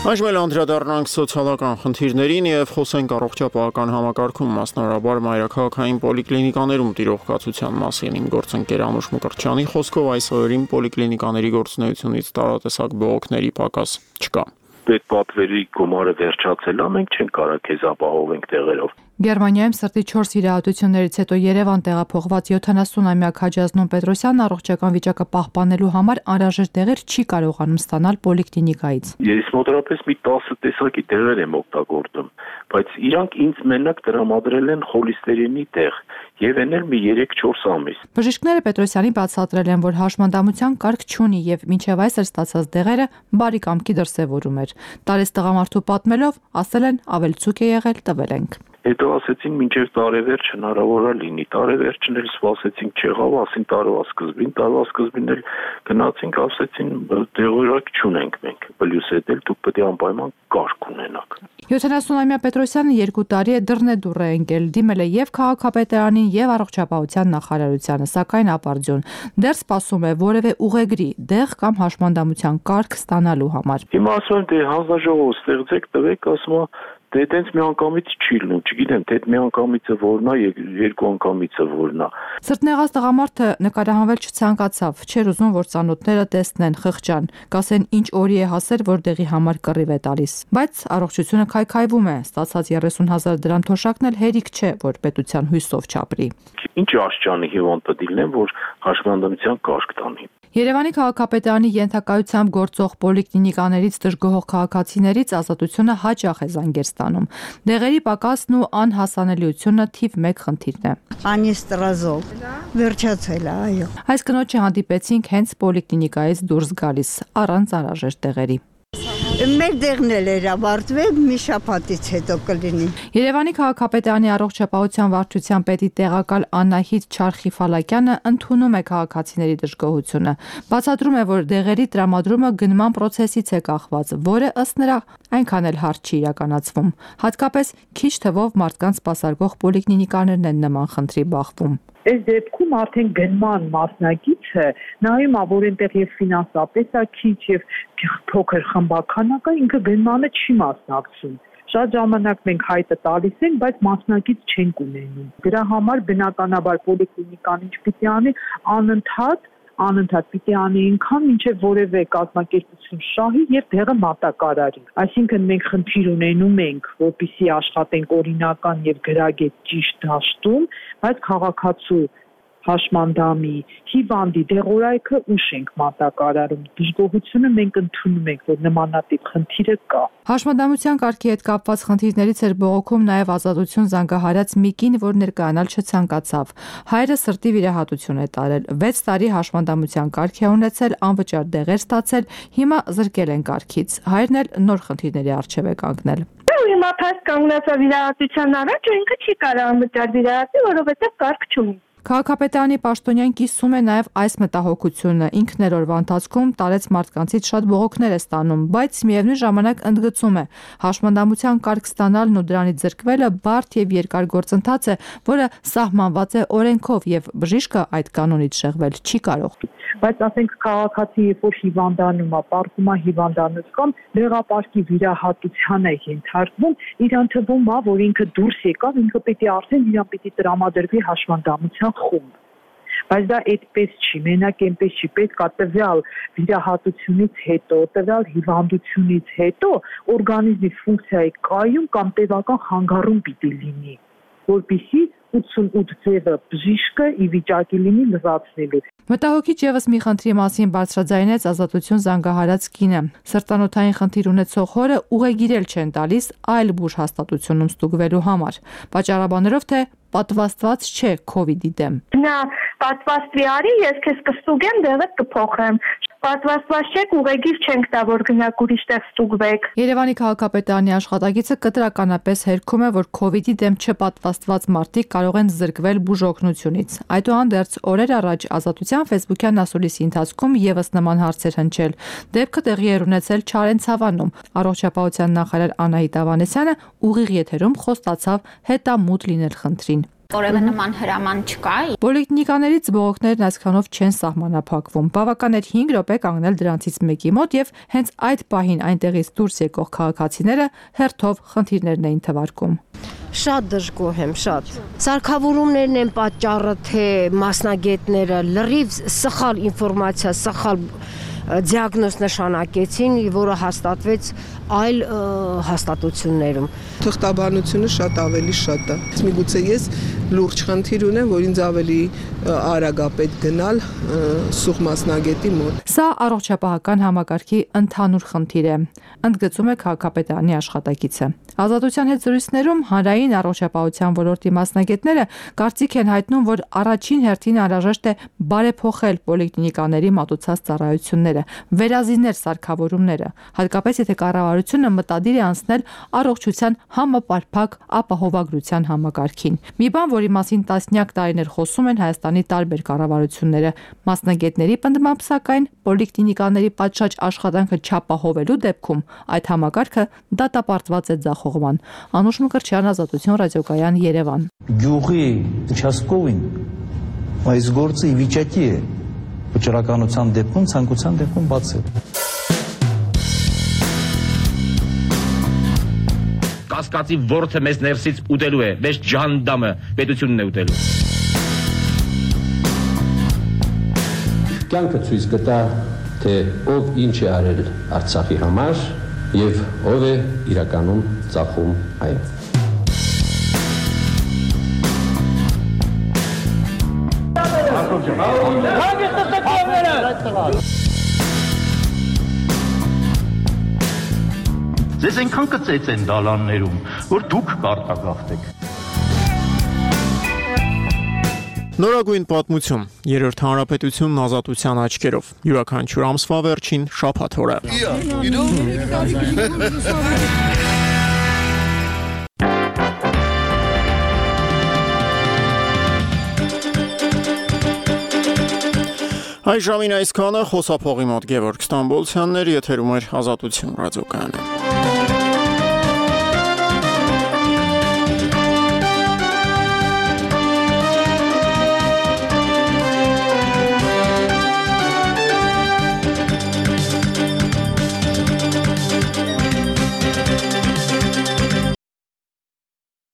Այժմ էլ անդրադառնանք սոցիալական խնդիրներին եւ խոսենք առողջապահական համակարգում, մասնավորաբար մայրաքաղաքային պոլիկլինիկաներում տիրող կացության մասին։ Իմ գործընկեր Անուշ Մկրտչյանի խոսքով այս օրերին պոլիկլինիկաների գործունեությունից տարատեսակ բողոքների պակաս չկա։ պետպատվերի գումարը վերջացել է, մենք չենք կարող քեզ ապահովենք տեղերով։ Գերմանիայում սրտի չորս վիրահատություններից հետո Երևան տեղափոխված յոթանասունամյա Քաջազնուն Պետրոսյանն առողջական վիճակը պահպանելու համար անհրաժեշտ դեղեր չի կարողանում ստանալ պոլիկլինիկայից։ Ես մոտավորապես մի տասը տեսակի դեղեր եմ օգտագործում, բայց իրանք ինձ մենակ տրամադրել են խոլիստերինի դեղ եւ ենել մի երեք-չորս ամիս։ Բժիշկները Պետրոսյանին բացատրել են, որ հաշմանդամության կարգ չունի եւ մինչեւ այսօր ստացած դեղերը բարի կամքի դրսեւորում էր։ Տարեց տղամարդու պատմելով, ասել են ավելցուկ է եղել, տվել ենք։ Հետո ասեցին մինչև տարեվերջ հնարավոր է լինի, տարեվերջն էլ սպասեցինք չեղավ, ասին տարվա սկզբին, տարվա սկզբին էլ գնացինք, ասեցին դեղորակ չունենք մենք, պլյուս հետ էլ դուք պետք է անպայման կարգ ունենաք։ յոթանասունամյա Պետրոսյանը երկու տարի է դռնեդուռ է ընկել, դիմել է եւ քաղաքապետարանին եւ առողջապահության նախարարությանը, սակայն ապարդյուն։ Դեռ սպասում է որևէ ուղեգրի, դեղ կամ հաշմանդամության կարգ ստանալու համար։ Հիմա ասում են դե հանձնաժողով ստեղծեք, տվեք, ասում է դե տենց մի անգամից չի լինում, չգիտեմ, թե մի անգամիցը որն է, երկու անգամիցը որն է։ Սրտնեղած տղամարդը նկարահանվել չցանկացավ, չէր ուզում, որ ծանոթները տեսնեն, խղճան, կասեն ինչ օրի է հասել, որ դեղի համար կռիվ է տալիս։ Բայց առողջությունը քայքայվում է, ստացած երեսուն հազար դրամ թոշակն էլ հերիք չէ, որ պետության հույսով չապրի։ Ինչ աշճանի հիվանդ պետք լինեն, որ հաշմանդամության կարգ տանի։ Երևանի քաղաքապետարանի ենթակայությամբ գործող պոլիկլինիկաներից դժգոհող քաղաքացիներից Ազատությունը հաճախ է զանգեր ստանում։ Դեղերի պակասն ու անհասանելիությունը թիվ մեկ խնդիրն է։ Անիստրազոլ վերջացել է, այո։ Այս կնոջը հանդիպեցինք հենց պոլիկլինիկայից դուրս գալիս, առանց անհրաժեշտ դեղերի։ Մեր դեղն էլ էր ավարտվել, մի շաբաթից հետո կլինի։ Երևանի քաղաքապետարանի առողջապահության վարչության պետի տեղակալ Անահիտ Չարխիֆալակյանը ընդունում է քաղաքացիների դժգոհությունը։ Բացատրում է, որ դեղերի տրամադրումը գնման process-ից է կախված, որը ըստ նրա այնքան էլ հարթ չի իրականացվում։ Հատկապես քիչ թվով մարդկանց սպասարկող պոլիկլինիկաներն են նման խնդրի բախվում։ Այս դեպքում արդեն գնման մասնակիցը նայում է, որ այնտեղ եւ ֆինանսապես է քիչ եւ փոքր խմբականակ է, ինքը գնմանը չի մասնակցում։ Շատ ժամանակ մենք հայտը տալիս ենք, բայց մասնակից չենք ունենում։ Դրա համար բնականաբար պոլիկլինիկան ինչ պիտի անի, անընդհատ անընդհատ պիտի անի ինքան, մինչև որևէ կազմակերպություն շահի եւ դեղը մատակարարի։ Այսինքն մենք խնդիր ունենում ենք, որպեսզի աշխատենք օրինական եւ գրագետ ճիշտ դաշտում, բայց քաղաքացու հաշմանդամի, հիվանդի դեղորայքը ուշ ենք մատակարարում։ Դժգոհությունը մենք ընդունում ենք, որ նմանատիպ խնդիրը կա։ Հաշմանդամության կարգի հետ կապված խնդիրներից էր բողոքում նաև Ազատություն զանգահարած մի կին, որ ներկայանալ չցանկացավ։ Հայրը սրտի վիրահատություն է տարել, վեց տարի հաշմանդամության կարգ է ունեցել, անվճար դեղեր ստացել, հիմա զրկել են կարգից։ Հայրն էլ նոր խնդիրների առջև է կանգնել։ Հիմա փաստ կանգնած է վիրահատության առաջ, ու ինքը չի կարող անվճար վիրահատի, որովհետև կարգ չունի։ Քաղաքապետարանի պաշտոնյան կիսում է նաև այս մտահոգությունը։ Ինքն էր օրվա ընթացքում տարեց մարդկանցից շատ բողոքներ է ստանում, բայց միևնույն ժամանակ ընդգծում է, հաշմանդամության կարգ ստանալն ու դրանից զրկվելը բարդ եւ երկար գործընթաց է, որը սահմանված է օրենքով եւ բժիշկը այդ կանոնից շեղվել չի կարող։ Բայց ասենք քաղաքացի երբ որ հիվանդանում է, պարտում է հիվանդանոց կամ դեղապարկի վիրահատության է ենթարկվում, իրան թվում է, որ ինքը դուրս եկավ, ինքը պիտի արդեն իրան պիտի տրամադրվի հաշմանդամության խումբ։ Բայց դա այդպես չի, մենակ այնպես չի, պետք է տվյալ վիրահատությունից հետո, տվյալ հիվանդությունից հետո օրգանիզմի ֆունկցիայի կայուն կամ տևական խանգարում պիտի լինի, որպեսզի ութսունութ ձևը բժիշկը ի վիճակի լինի լրացնելու։ Մտահոգիչ եւս մի խնդրի մասին բարձրաձայնեց Ազատություն զանգահարած կինը։ Սրտանոթային խնդիր ունեցող հորը ուղեգիրել չեն տալիս այլ բուժ հաստատությունում ստուգվելու համար։ Պատճառաբաներով թե պատվաստված չէ քովիդի դեմ։ Նա պատվաստվի արի, ես քեզ կստուգեմ, դեղդ կփոխեմ։ Պատվաստված չեք, ուղեգիր չենք տա, որ գնաք ուրիշ տեղ ստուգվեք։ Երևանի քաղաքապետարանի աշխատակիցը կտրականապես հերքում է, որ քովիդի դեմ չպատվաստված մարդիկ կարող են զրկվել բուժօգնությունից։ Այդուհանդերձ օրեր առաջ Ազատության ֆեյսբուքյան ասուլիսի ընթացքում եւս նման հարցեր հնչել։ Դեպքը տեղի էր ունեցել Չարենցավանում։ Առողջապահության նախարար Անահիտ Ավանեսյանը ուղիղ եթերում խոստացավ հետամուտ լինել խնդրին։ Որևէ նման հրաման չկա։ Պոլիկլինիկաներից բողոքներն այսքանով չեն սահմանափակվում։ Բավական էր հինգ րոպե կանգնել դրանցից մեկի մոտ եւ հենց այդ պահին այնտեղից դուրս եկող քաղաքացիները հերթով խնդիրներն էին թվարկում։ Շատ դժգոհ եմ, շատ։ Սարքավորումներն են պատճառը, թե մասնագետները լրիվ սխալ ինֆորմացիա, սխալ դիագնոզ նշանակեցին, որը հաստատվեց այլ հաստատություններում։ Թղթաբանությունը շատ ավելի շատ է։ Միգուցե ես լուրջ խնդիր ունեմ, որ ինձ ավելի արագ է պետք գնալ սուղ մասնագետի մոտ։ Սա առողջապահական համակարգի ընդհանուր խնդիր է, ընդգծում է քաղաքապետարանի աշխատակիցը։ Ազատության հետ զրույցներում հանրային առողջապահության ոլորտի մասնագետները կարծիք են հայտնում, որ առաջին հերթին անհրաժեշտ է բարեփոխել պոլիկլինիկաների մատուցած ծառայությունները, վերազինել սարքավորումները, հատկապես եթե կառավարությունը մտադիր է անցնել առողջության համապարփակ ապահովագրության համակարգին։ Մի բան, որի մասին տասնյակ տարիներ խոսում են Հայաստանի տարբեր կառավարությունները, մասնագետների պնդմամբ, սակայն պոլիկլինիկաների պատշաճ աշխատանքը չապահովելու դեպքում այդ համակարգը դատապարտված է ձախողման։ Անուշ Մկրտչյան, Ազատություն ռադիոկայան, Երևան։ Գյուղի участковին այս գործը ի վիճակի է վճռականության դեպքում, ցանկության դեպքում բացել։ Կասկածի ворթը մեզ ներսից ուտելու է, մեզ ջանդամը պետությունն է ուտելու։ Կյանքը ցույց կտա, թե ով ինչ է արել Արցախի համար եւ ով է իրականում ծախում այն։ Ձեզ այնքան կծեց են դալաններում, որ դուք կարտագաղթեք։ Նորագույն պատմություն, երրորդ հանրապետությունն ազատության աչքերով, յուրաքանչյուր ամսվա վերջին շաբաթ օրը։ Այս ժամին այսքանը, խոսափողի մոտ Գևորգ Ստամբոլցյանն էր, եթերում էր Ազատություն ռադիոկայանը։